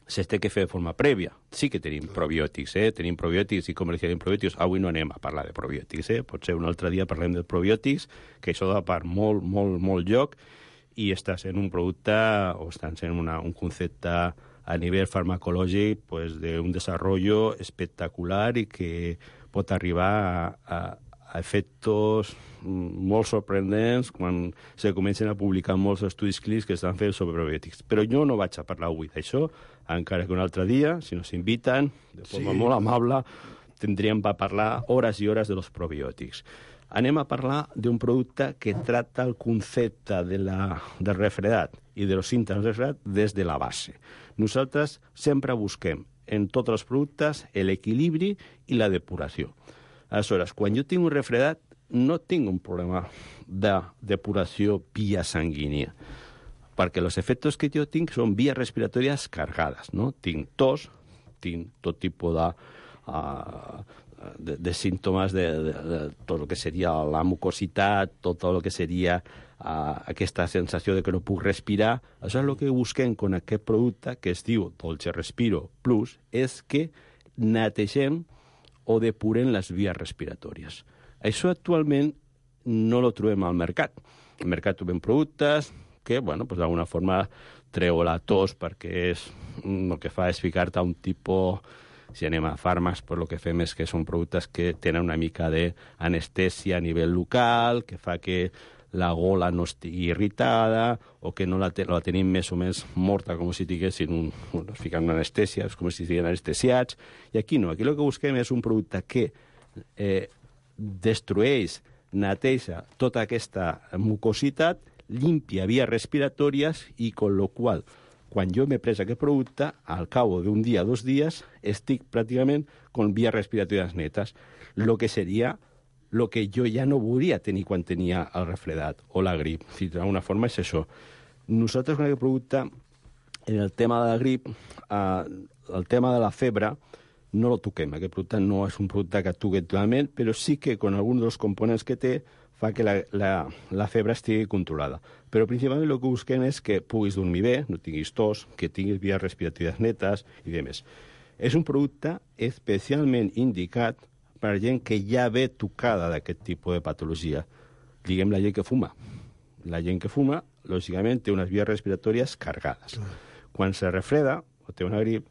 se té que fer de forma prèvia. Sí que tenim probiòtics, tenim probiòtics i comercialitzem probiòtics. Avui no anem a parlar de probiòtics, potser un altre dia parlem de probiòtics, que això da per molt lloc, i està sent un producte, o està sent un concepte a nivell farmacològic d'un desenvolupament espectacular i que pot arribar a efectes molt sorprendents quan se comencen a publicar molts estudis clínics que estan fent sobre probiòtics. Però jo no vaig a parlar avui d'això, encara que un altre dia, si nos inviten, de forma molt amable, tindríem per parlar hores i hores dels probiòtics. Anem a parlar d'un producte que tracta el concepte del refredat i dels símptomes del refredat des de la base. Nosaltres sempre busquem en tots els productes l'equilibri i la depuració. Aleshores, quan jo tinc un refredat, no tinc un problema de depuració via sanguínia, perquè els efectes que jo tinc són vies respiratòries carregades, no? Tinc tos, tinc tot tipus de símptomes de tot el que seria la mucositat, tot el que seria aquesta sensació de que no puc respirar. Això és el que busquem amb aquest producte que es diu Dolce Respiro Plus, és que netegem o depuren les vies respiratòries. Això actualment no lo trobem al mercat. Al mercat trobem productes que, d'alguna forma treu la tos perquè el que fa és ficar-te a un tipus... Si anem a fàrmacs, el que fem és que són productes que tenen una mica d'anestèsia a nivell local, que fa que la gola no estigui irritada o que no la tenim més o menys morta, com si tinguessin es fiquen una anestèsia, és com si estiguin anestesiats. I aquí no, aquí el que busquem és un producte que destrueix, neteja tota aquesta mucositat, limpia vies respiratòries i, con lo qual, quan jo m'he pres aquest producte, al cabo d'un dia, 2 dies, estic pràcticament con vías respiratorias netas, lo que seria lo que jo ja no volia tenir quan tenia el refredat o la grip. D'alguna forma és això. Nosaltres, con aquest producte, en el tema de la grip, el tema de la febre, no lo toquem. Aquest producte no és un producte que toque totalment, però sí que con alguns dels components que té fa que la febre estigui controlada. Però principalment el que busquem és que puguis dormir bé, no tinguis tos, que tinguis vies respiratòries netes i demés. És un producte especialment indicat per gent que ja ve tocada d'aquest tipus de patologia. Diguem la gent que fuma. La gent que fuma, lògicament, té unes vies respiratòries carregades. Quan se refreda o té una grip,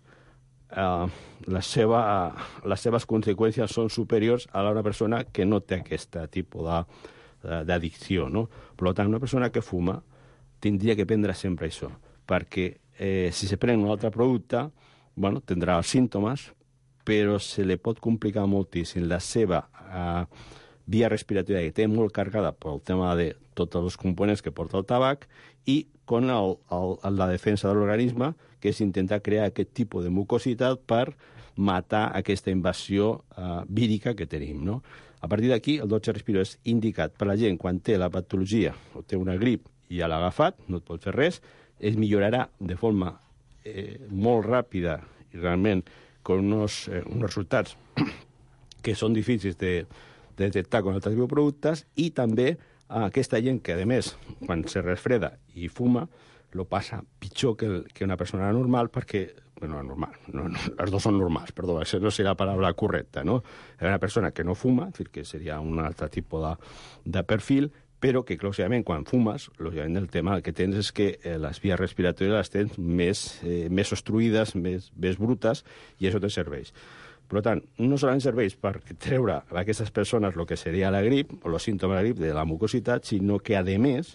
les seves conseqüències són superiors a una persona que no té aquest tipus d'addicció, no? Per tant, una persona que fuma tindria que prendre sempre això, perquè si se pren un altre producte, bueno, tindrà els símptomes, però se li pot complicar moltíssim la seva via respiratòria, que té molt carregada pel tema de tots els components que porta el tabac, i con la defensa de l'organisme, que és intentar crear aquest tipus de mucositat per matar aquesta invasió vírica que tenim, no? A partir d'aquí, el dotze respiro és indicat per la gent quan té la patologia o té una grip i ja l'ha agafat, no et pot fer res, es millorarà de forma molt ràpida i realment con unos resultats que són difícils de detectar con altres bioproductes, i també aquesta gent que, a més, quan se refreda i fuma, lo passa pitjor que una persona normal, perquè, bueno, normal, no, els dos són normals, perdó, això no serà la paraula correcta, no? Una persona que no fuma, és dir, que seria un altre tipus de perfil, però que, lògicament, quan fumes, lògicament, el tema que tens és que les vies respiratòries les tens més obstruïdes, més brutes, i això te serveix. Per tant, no solament serveix per treure a aquestes persones el que seria la grip, o els símptomes de la grip de la mucositat, sinó que, a més,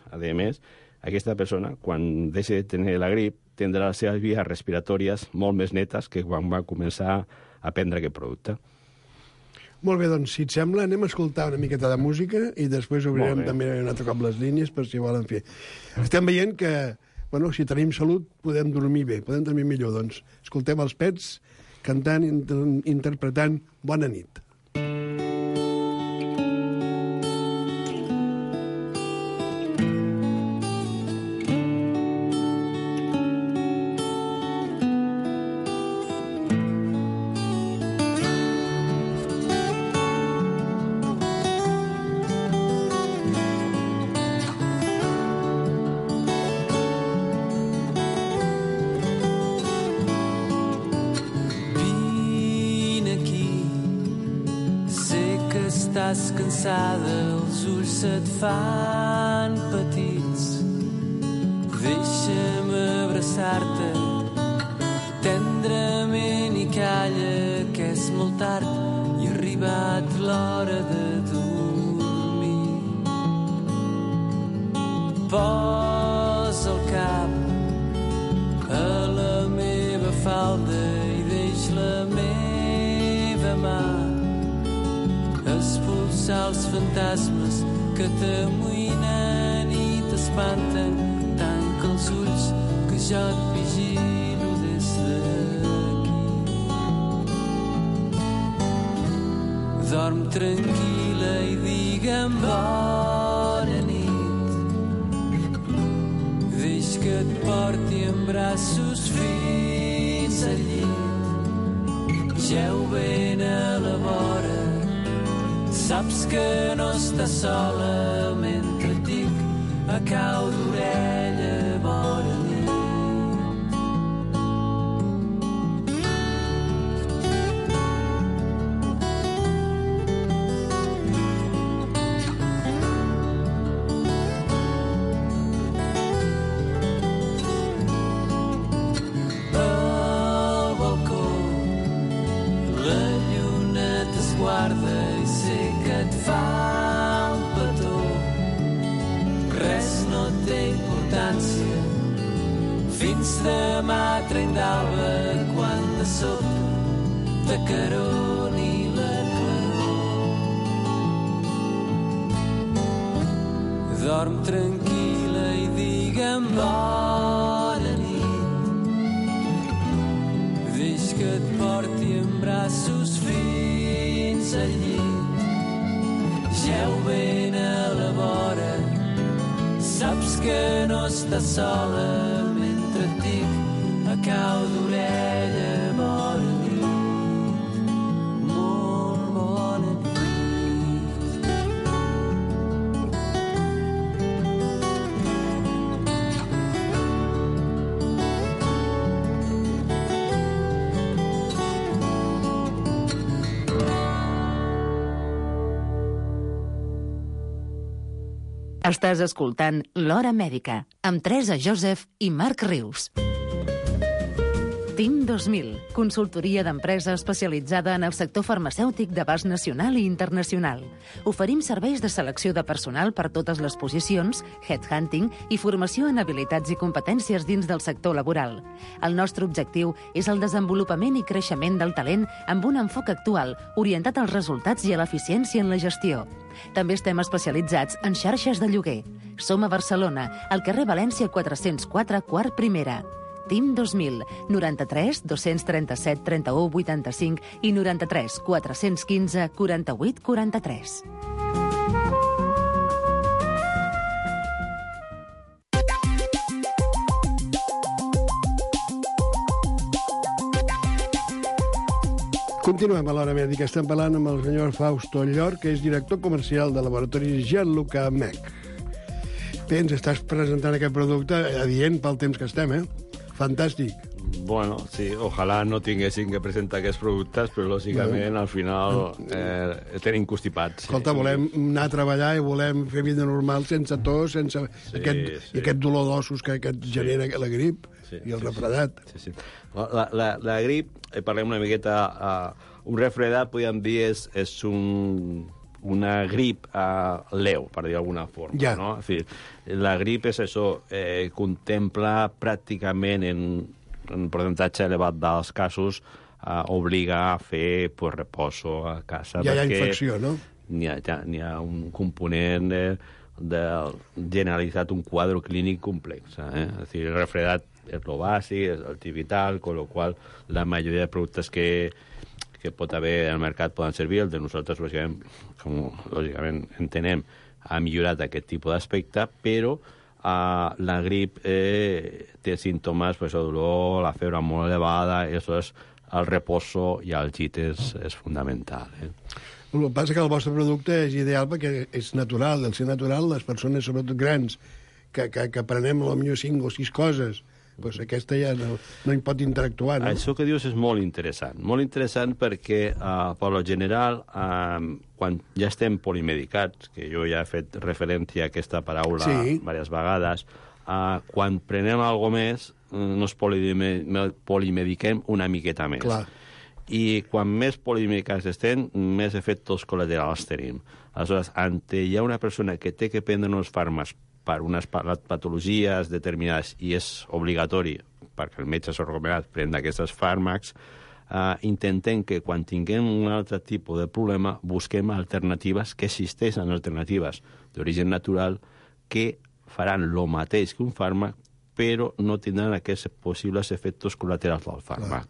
aquesta persona, quan deixi de tenir la grip, tindrà les seves vies respiratòries molt més netes que quan va començar a prendre aquest producte. Molt bé, doncs, si et sembla, anem a escoltar una miqueta de música i després obrirem també un altre cop les línies per si volen fer. Estem veient que, bueno, si tenim salut, podem dormir bé, podem dormir millor. Doncs escoltem els Pets cantant, interpretant Bona nit. Estàs cansada, els ulls se't fan petits. Deixa'm abraçar-te tendrament i calla, que és molt tard i ha arribat l'hora de dormir. Posa el cap a la meva falda i deix la meva mà expulsar els fantasmes que t'amoïnen i t'espanten. Tanca els ulls que jo et vigilo des d'aquí. Dorm tranquil·la i digue'm bona nit. Deix que et porti en braços fins al llit. Jeu ben a la vora, saps que no estàs sola mentre et dic a cau d'orella bona nit. Al balcó la lluna t'esguarda i sé que et fa un petó. Res no té importància fins demà trenc d'alba, quan de sobte t'acaroni la claror. Dorm tranquil·la i digue'm bona nit. que et porti en braços fins al llit. Geu ben a la vora, saps que no estàs sola mentre et dic a cau d'orella bona nit, molt bona nit. Estàs escoltant L'Hora Mèdica, amb Teresa Joseph i Marc Rius. TIM 2000, consultoria d'empresa especialitzada en el sector farmacèutic d'abast nacional i internacional. Oferim serveis de selecció de personal per totes les posicions, headhunting i formació en habilitats i competències dins del sector laboral. El nostre objectiu és el desenvolupament i creixement del talent amb un enfoc actual, orientat als resultats i a l'eficiència en la gestió. També estem especialitzats en xarxes de lloguer. Som a Barcelona, al carrer València 404, quart primera. TIM 2000, 93 237 31 85 i 93 415 48 43. Continuem a l'Hora Mèdica. Estem parlant amb el senyor Fausto Llor, que és director comercial de laboratoris Gianluca Mech. Bé, ens estàs presentant aquest producte adient pel temps que estem, Fantàstic. Bueno, sí, ojalà no tinguessin que presentar aquests productes, però lògicament al final tenim constipats. Escolta, volem anar a treballar i volem fer vida normal sense tos, sense aquest dolor d'ossos que et genera la grip i el refredat. Sí. La grip, parlem una miqueta, un refredat, podríem dir, és una grip leu, per dir d'alguna forma. Ja. No? En fi, la grip és això, contempla pràcticament en un percentatge elevat dels casos obliga a fer reposo a casa. Ja hi ha infecció, no? N'hi ha un component de generalitzat, un quadre clínic complex. És dir, el refredat és el bàsic, és el vital, con lo qual la majoria de productes que pot haver al mercat poden servir. El de nosaltres, lògicament entenem, ha millorat aquest tipus d'aspecte, però la grip té símptomes, dolor, la febre molt elevada, i aleshores el reposo i el llit és fundamental. El que passa que el vostre producte és ideal perquè és natural. Al ser natural, les persones, sobretot grans, que prenem potser 5 o 6 coses, doncs aquesta ja no hi pot interactuar, no? Això que dius és molt interessant perquè, per lo general, quan ja estem polimedicats, que jo ja he fet referència a aquesta paraula diverses vegades, quan prenem alguna més, nos polimediquem una miqueta més. Clar. I quan més polimedicats estem, més efectes col·laterals tenim. Aleshores, hi ha una persona que té que prendre uns fàrmacs per unes patologies determinades i és obligatori, perquè el metge s'ha recomanat prendre aquests fàrmacs, intentem que quan tinguem un altre tipus de problema busquem alternatives, que existeixen alternatives d'origen natural que faran el mateix que un fàrmac, però no tindran aquests possibles efectes col·laterals del fàrmac.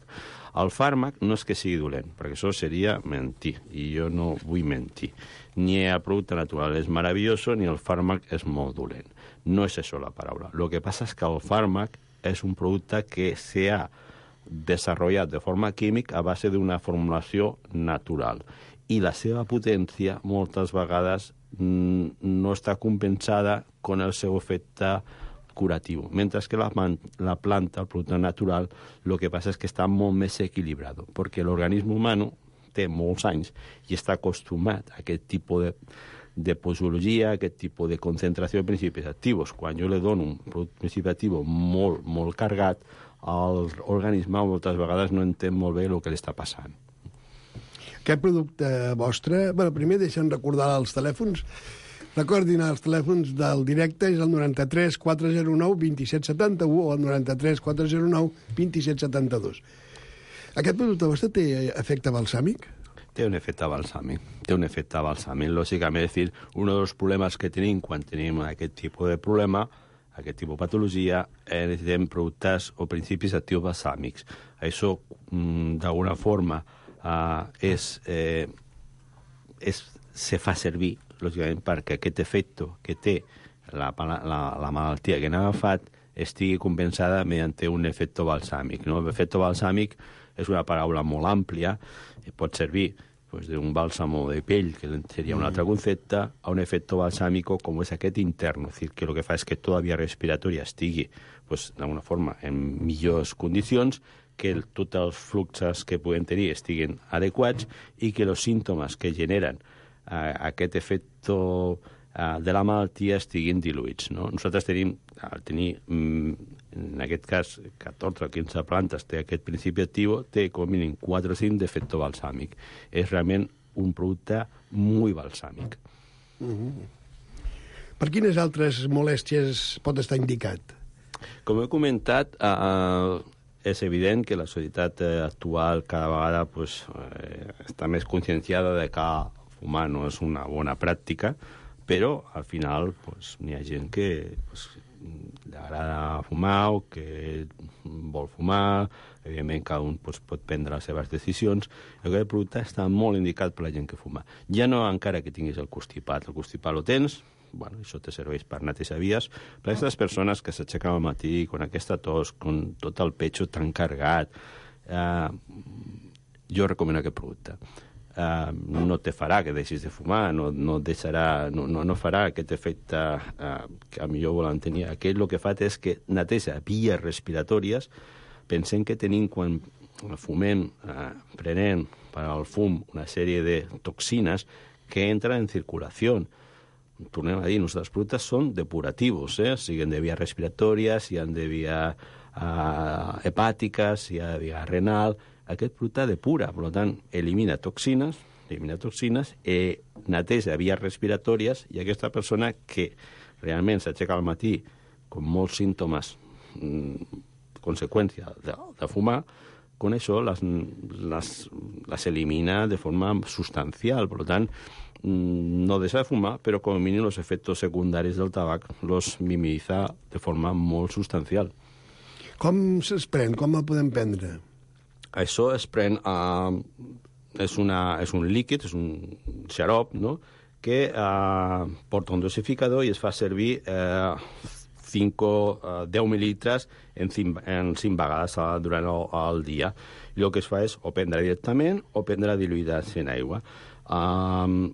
El fàrmac no és que sigui dolent, perquè això seria mentir, i jo no vull mentir. Ni el producte natural és meravelloso, ni el fàrmac és molt dolent. No és això la paraula. El que passa és que el fàrmac és un producte que s'ha desenvolupat de forma química a base d'una formulació natural. I la seva potència moltes vegades no està compensada amb el seu efecte curatiu, mentre que la planta, el producte natural, el que passa és que està molt més equilibrat, perquè l'organisme humà té molts anys i està acostumat a aquest tipus de posologia, aquest tipus de concentració de principis actius. Quan jo li dono un principi actiu molt, molt carregat, l'organisme moltes vegades no entén molt bé el que li està passant. Aquest producte vostre... primer deixem recordar els telèfons. Recordin, els telèfons del directe és el 93 409 2771 o el 93 409 2772. Aquest producte vostre té efecte balsàmic? Té un efecte balsàmic. Lògicament, és dir, un dels problemes que tenim quan tenim aquest tipus de problema, aquest tipus de patologia, necessitem productes o principis actius balsàmics. Això, d'alguna forma, se fa servir, lògicament, perquè aquest efecte que té la malaltia que n'ha agafat estigui compensada mediante un efecte balsàmic. No? L'efecte balsàmic és una paraula molt àmplia, pot servir d'un bàlsamo de pell, que seria un altre concepte, a un efecte balsàmico com és aquest intern, és a dir, que el que fa és que tota la via respiratòria estigui, d'alguna forma, en millors condicions, que tots els fluxos que puguem tenir estiguin adequats i que els símptomes que generen aquest efecte de la malaltia estiguin diluïts. No? Nosaltres tenim, al tenir, en aquest cas, 14 o 15 plantes, té aquest principi actiu, té com a mínim 4 o 5 d'efecte balsàmic. És realment un producte molt balsàmic. Per quines altres molèsties pot estar indicat? Com he comentat, és evident que la societat actual cada vegada està més conscienciada de que fumar no és una bona pràctica, però al final n'hi ha gent que li agrada fumar o que vol fumar. Evidentment, cada un pot prendre les seves decisions. Aquest producte està molt indicat per la gent que fuma. Ja no encara que tinguis el constipat. El constipat lo tens, això te serveix per netejar vies. Per aquestes persones que s'aixequen al matí amb aquesta tos, amb tot el pecho tan carregat, jo recomano aquest producte. No te farà que deixis de fumar, no farà aquest efecte que a millor volen tenir. Aquest el que fa és que neteja vies respiratòries. Pensem que tenim, quan fumem, prenem per al fum una sèrie de toxines que entren en circulació. Tornem a dir, els productes són depuratius, siguin de vies respiratòries, siguin de vies hepàtiques, siguin de via renal. Aquest producte depura, per tant, elimina toxines, neteja vies respiratòries, i aquesta persona que realment s'aixeca al matí amb molts símptomes conseqüència de fumar, con això les elimina de forma substancial. Per tant, no deixa de fumar, però com a mínim els efectes secundaris del tabac els minimiza de forma molt substancial. Com se'ls pren? Com el podem prendre? Això es pren, és un líquid, és un xarop, no?, que porta un dosificador i es fa servir 10 mil·lilitres en 5 vegades durant el dia. I el que es fa és o prendre directament o prendre diluïdes en aigua. El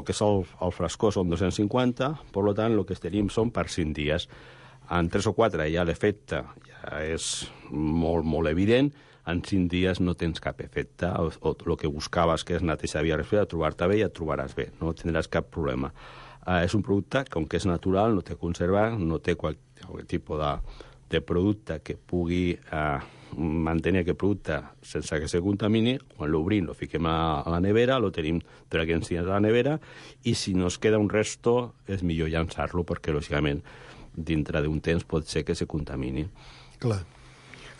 que és el frescor són 250, per tant, el que tenim són per 5 dies. En 3 o 4 ja l'efecte ja és molt, molt evident. En 5 dies no tens cap efecte. O el que buscaves, que és netejar via respiratòria, trobar-te bé, ja et trobaràs bé. No tindràs cap problema. És un producte, com que és natural, no té conservant, no té qualsevol tipus de producte que pugui mantenir aquest producte sense que se contamini. Quan l'obrim, lo fiquem a la nevera, lo tenim 3 dies a la nevera, i si nos queda un resto, és millor llançar-lo, perquè, lògicament, dintre d'un temps pot ser que se contamini. Clar.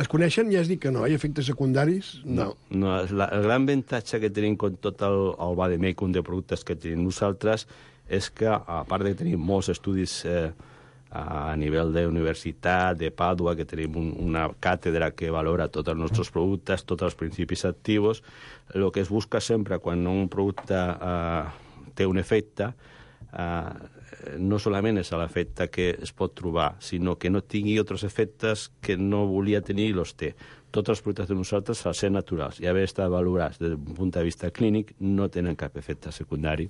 Es coneixen? Ja has dit que no, hi ha efectes secundaris? No. El gran avantatge que tenim amb tot el vademecum de productes que tenim nosaltres és que, a part de tenir molts estudis a nivell d'universitat, de Pàdua, que tenim una càtedra que valora tots els nostres productes, tots els principis actius, el que es busca sempre quan un producte té un efecte, no solament és l'efecte que es pot trobar, sinó que no tingui altres efectes que no volia tenir i els té. Tots els productes de nosaltres, al ser naturals i haver estat valorats des d'un punt de vista clínic, no tenen cap efecte secundari.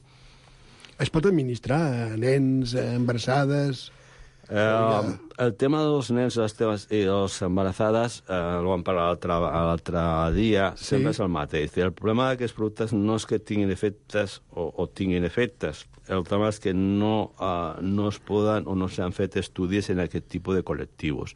Es pot administrar a nens, a embarassades? El tema dels nens i les embarassades, el vam parlar l'altre dia, sempre és el mateix. El problema d'aquests productes no és que tinguin efectes o tinguin efectes. El tema és que no es poden o no s'han fet estudis en aquest tipus de col·lectius.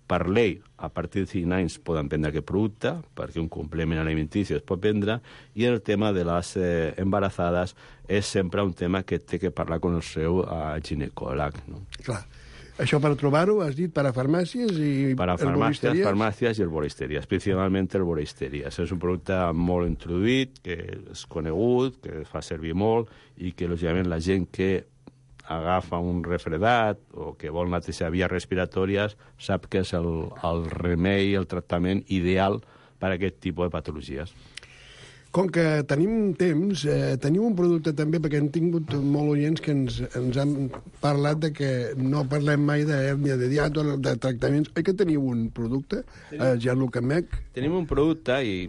Per llei, a partir de 5 anys poden prendre aquest producte, perquè un complement alimentici es pot prendre, i el tema de les embarassades és sempre un tema que té que parlar amb el seu ginecòleg. No? Clar. Això per trobar-ho, has dit, per a farmàcies i herboristeries? Farmàcies i herboristeries, principalment herboristeries. És un producte molt introduït, que és conegut, que es fa servir molt i que, lògicament, la gent que agafa un refredat o que vol netejar vies respiratòries, sap que és el remei, el tractament ideal per a aquest tipus de patologies. Com que tenim temps, tenim un producte també, perquè hem tingut molt oients que ens han parlat de que no parlem mai d'hèrnia de hiato, de tractaments. Oi que teniu un producte, Gianluca Mech? Tenim un producte i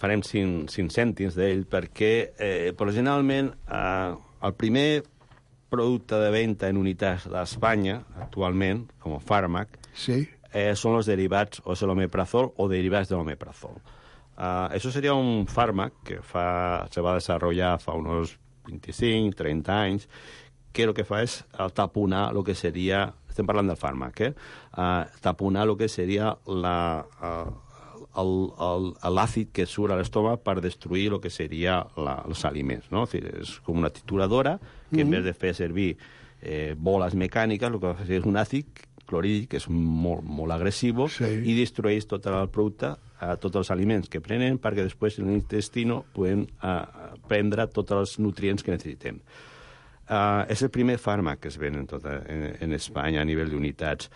farem 5 cèntims d'ell perquè, generalment, el primer producte de venda en unitats d'Espanya, actualment, com a fàrmac, són els derivats o és l'omeprazol o derivats de l'omeprazol. Eso sería un fármaco que se va a desarrollar fa unos 25, 30 anys, que lo que fa és taponar lo que seria, estem parlant del fàrmac, taponar lo que seria l'àcid que surt a l'estómac per destruir lo que seria els aliments, no? És com una trituradora que en vez de fer servir boles mecàniques, el que fa és un àcid clorhídric, que és molt agressiu, i destrueix tot el producte, tots els aliments que prenen, perquè després en l'intestino poden prendre tots els nutrients que necessitem. És el primer fàrmac que es ven en Espanya a nivell d'unitats.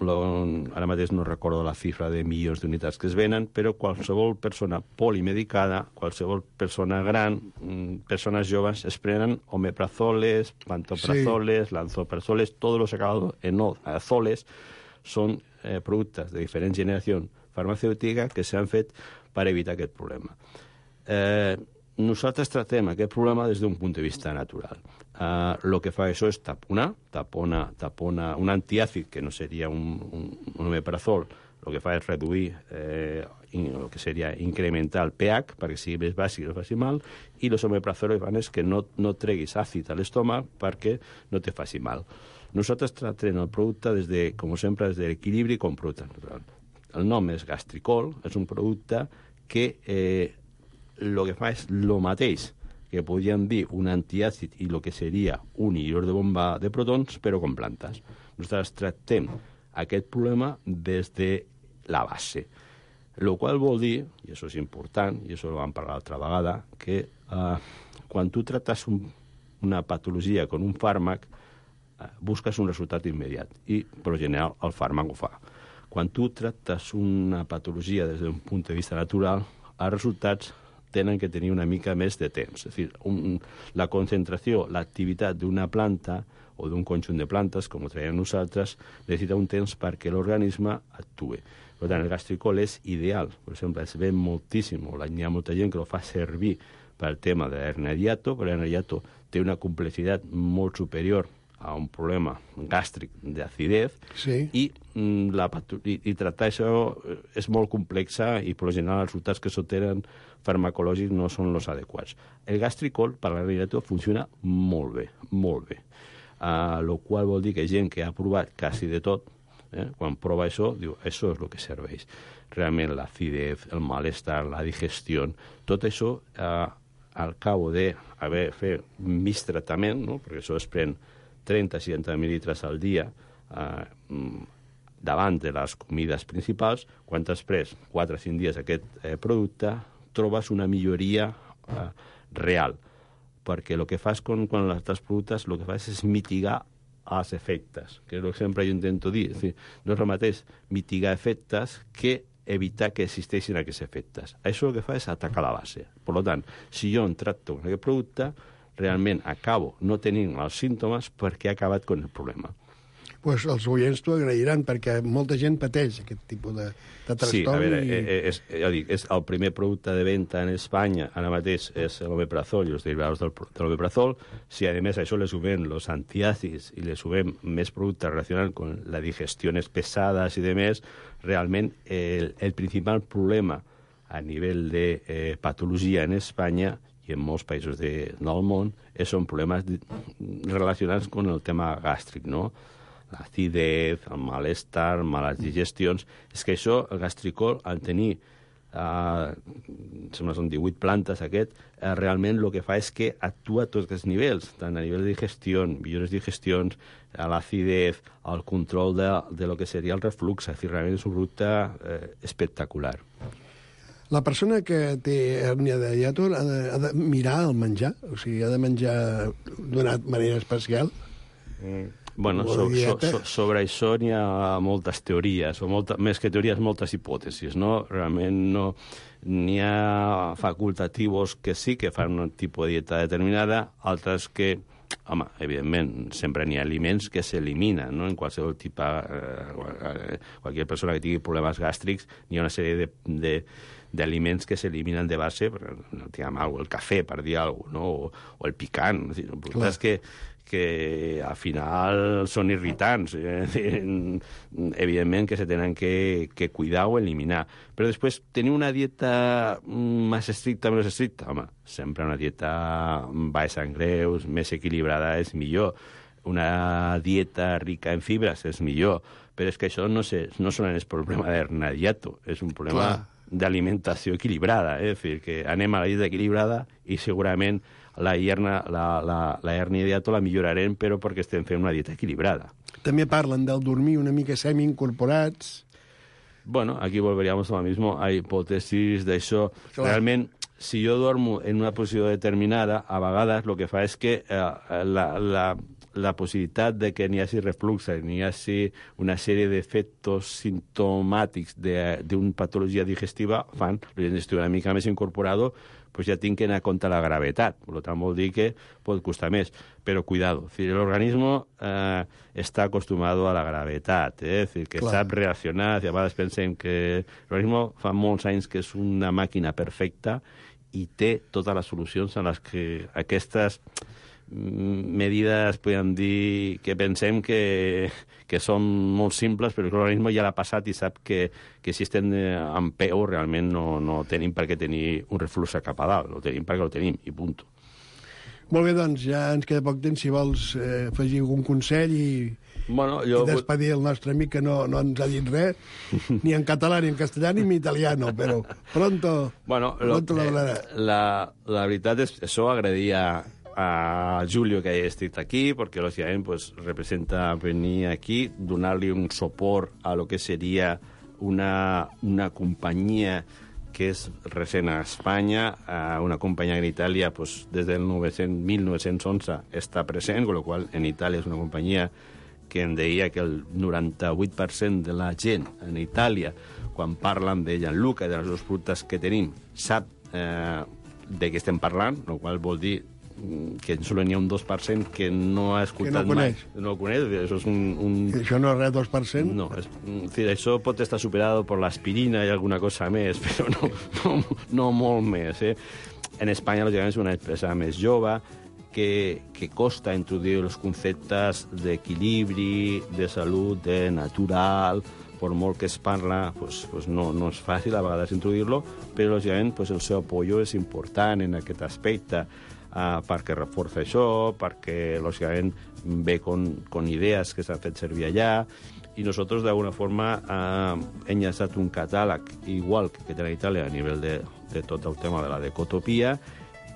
Ara mateix no recordo la xifra de milions d'unitats que es venen, però qualsevol persona polimedicada, qualsevol persona gran, persones joves, es prenen omeprazoles, pantoprazoles, lanzoprazoles, todos los acabados en azoles són productes de diferent generació farmacèutica que s'han fet per evitar aquest problema. Nosaltres tractem aquest problema des d'un punt de vista natural. El que fa això és tapona un antiàcid, que no seria un omeprazol, el que fa és reduir el que seria incrementar el pH perquè sigui més bàsic i no faci mal, i els omeprazols fan és que no treguis àcid a l'estómac perquè no te faci mal. Nosaltres tractem el producte, com sempre, des de l'equilibri com producte natural. El nom és Gastricol, és un producte que el que fa és el mateix que podríem dir un antiàcid i el que seria un inhibidor de bomba de protons, però com plantes. Nosaltres tractem aquest problema des de la base. El qual vol dir, i això és important, i això ho vam parlar l'altra vegada, que quan tu tractes una patologia amb un fàrmac, busques un resultat immediat, i per general el fàrmac ho fa. Quan tu tractes una patologia des d'un punt de vista natural, els resultats tenen que tenir una mica més de temps. És a dir, la concentració, l'activitat d'una planta o d'un conjunt de plantes, com ho traiem nosaltres, necessita un temps perquè l'organisme actuï. Per tant, el gastricol és ideal. Per exemple, es ven moltíssim, hi ha molta gent que el fa servir pel tema de l'hernia de hiato, però l'hernia de hiato té una complexitat molt superior a un problema gàstric d'acidez, i tractar això és molt complexa i per lo general els resultats que s'obtenen farmacològics no són els adequats. El gastricol per la realitat funciona molt bé, molt bé. El qual vol dir que gent que ha provat quasi de tot, quan prova això, diu, això és el que serveix. Realment l'acidez, el malestar, la digestió, tot això al cabo d'haver fet mig tractament, perquè això es pren 30-60 mil·litres al dia davant de les comides principals, quan t'has pres 4 o 5 dies aquest producte, trobes una milloria real, perquè el que fas quan els altres productes, el que fas és mitigar els efectes, que és el que sempre jo intento dir. És dir, no és el mateix mitigar efectes que evitar que existeixin aquests efectes. Això el que fa és atacar la base. Per tant, si jo em tracto amb aquest producte, realment acabo no tenint els símptomes perquè he acabat amb el problema. Pues els oients t'ho agrairan, perquè molta gent pateix aquest tipus de trastorn. Sí, a veure, ja dic, és el primer producte de venda en Espanya, ara mateix és l'omeprazol i els derivats de l'omeprazol. Si a més a això le sumem els antiàcids i le sumem més productes relacionats amb la digestió pesades i demés, realment el principal problema a nivell de patologia en Espanya i en molts països del món són problemes relacionats amb el tema gàstric, no? L'acidez, el malestar, males digestions. És que això, el gastricol, al tenir, sembla són 18 plantes aquest, realment el que fa és que actua a tots els nivells, tant a nivell de digestió, millores digestions, l'acidez, el control de lo que seria el reflux. És a dir, realment és un producte espectacular. La persona que té hèrnia de hiato ha de mirar el menjar? O sigui, ha de menjar d'una manera especial? Bueno, sobre això n'hi ha moltes teories, més que teories, moltes hipòtesis, no? Realment no... N'hi ha facultatius que sí que fan un tipus de dieta determinada, altres que, home, evidentment, sempre n'hi ha aliments que s'eliminen, no? En qualsevol tipus... qualsevol persona que tingui problemes gàstrics, n'hi ha una sèrie d'aliments que s'eliminen de base, el cafè, per dir alguna cosa, no? O el picant. Productes que al final són irritants. Evidentment que se tenen que cuidar o eliminar. Però després, tenir una dieta més estricta, menys estricta, home, sempre una dieta baixa en greus, més equilibrada és millor. Una dieta rica en fibres és millor. Però és que això no solament és problema d'hernia de hiato, és un problema d'alimentació equilibrada. És a dir, que anem a la dieta equilibrada i segurament la hernia de hiato la millorarem, però perquè estem fent una dieta equilibrada. També parlen del dormir una mica semi-incorporats. Bueno, aquí volveríamos a lo mismo, a hipòtesis d'això. Realment, si jo duermo en una posició determinada, a vegades el que fa és que la possibilitat de que n'hi hagi reflux, n'hi hagi una sèrie d'efectes sintomàtics d'una patologia digestiva, fan, l'estic una mica més incorporado, pues ja tinc que anar a compte la gravetat. Per tant, vol dir que pot costar més. Però cuidado, el organismo està acostumat a la gravetat, és dir, que sap reaccionar, i a vegades pensem que l'organisme fa molts anys que és una màquina perfecta i té totes les solucions en les que aquestes medides, podem dir, que pensem que són molt simples, però l'organisme ja l'ha passat i sap que si estem en peu realment no tenim per què tenir un reflux cap a dalt, ho tenim perquè ho tenim, i punt. Molt bé, doncs, ja ens queda poc temps, si vols afegir algun consell i despedir el nostre amic que no ens ha dit res, ni en català, ni en castellà, ni en italiano, però pronto lo hablarà. La veritat és que això agradaria a Julio que haya estat aquí, porque lógicamente pues representa venir aquí, donar-li un suport a lo que sería una compañía que és recent a Espanya, una companyia en Itàlia pues, des del 1911 està present, con lo qual en Itàlia és una companyia que em deia que el 98% de la gent en Itàlia, quan parlen de Gianluca i de les productes que tenim, sap de què estem parlant, el qual vol dir que només n'hi ha un 2% que no ha escoltat mai. No ho coneix. Això és Això no és res, 2%? No. Això pot estar superat per l'aspirina i alguna cosa més, però no molt més. En Espanya, lògicament, és una empresa més jove que costa introduir els conceptes d'equilibri, de salut, de natural, per molt que es parla, pues no és fàcil a vegades introduir-lo, però lògicament el seu apoyo és important en aquest aspecte, perquè reforça això, perquè lògicament ve con idees que s'han fet servir allà, i nosaltres d'alguna forma hem llançat un catàleg igual que té a Itàlia a nivell de tot el tema de la decotopia,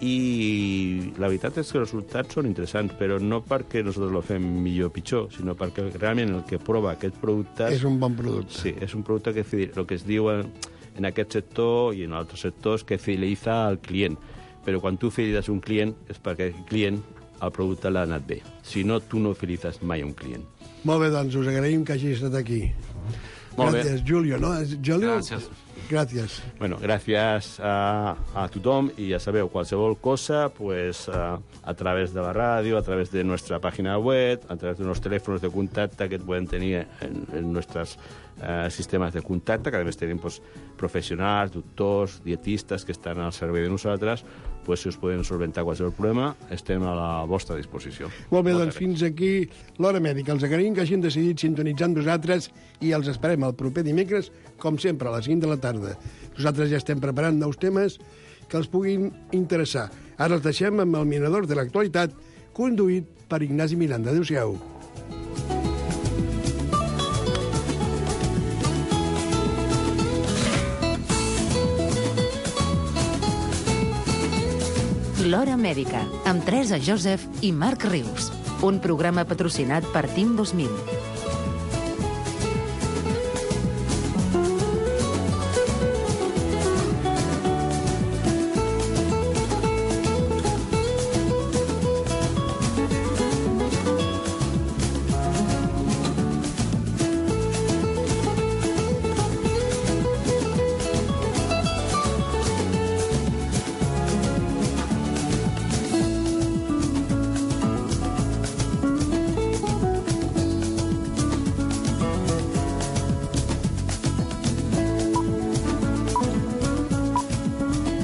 i la veritat és que els resultats són interessants, però no perquè nosaltres lo fem millor o pitjor, sinó perquè realment el que prova aquests productes... És un bon producte. Sí, és un producte que el que es diu en aquest sector i en altres sectors que fidelitza al client. Però quan tu fidelitzes un client és perquè el client, el producte l'ha anat bé. Si no, tu no fidelitzes mai un client. Molt bé, doncs us agraïm que hagi estat aquí. Gràcies, Julio, no? Julio? Gràcies. Bueno, gràcies a tothom i ja sabeu, qualsevol cosa, pues a través de la ràdio, a través de nuestra página web, a través de los teléfonos de contacte que pueden tenir en nuestros sistemes de contacte, que a més tenim pues, professionals, doctors, dietistes que estan al servei de nosaltres, pues, si us poden solventar qualsevol problema, estem a la vostra disposició. Molt bé, doncs fins aquí l'Hora Mèdica. Els agraïm que hagin decidit sintonitzar amb nosaltres i els esperem el proper dimecres, com sempre, a les 5 de la tarda. Nosaltres ja estem preparant nous temes que els puguin interessar. Ara els deixem amb el Mirador de l'Actualitat, conduït per Ignasi Miranda. Adéu-siau. L'Hora Mèdica, amb Teresa Joseph i Marc Rius. Un programa patrocinat per Team 2000.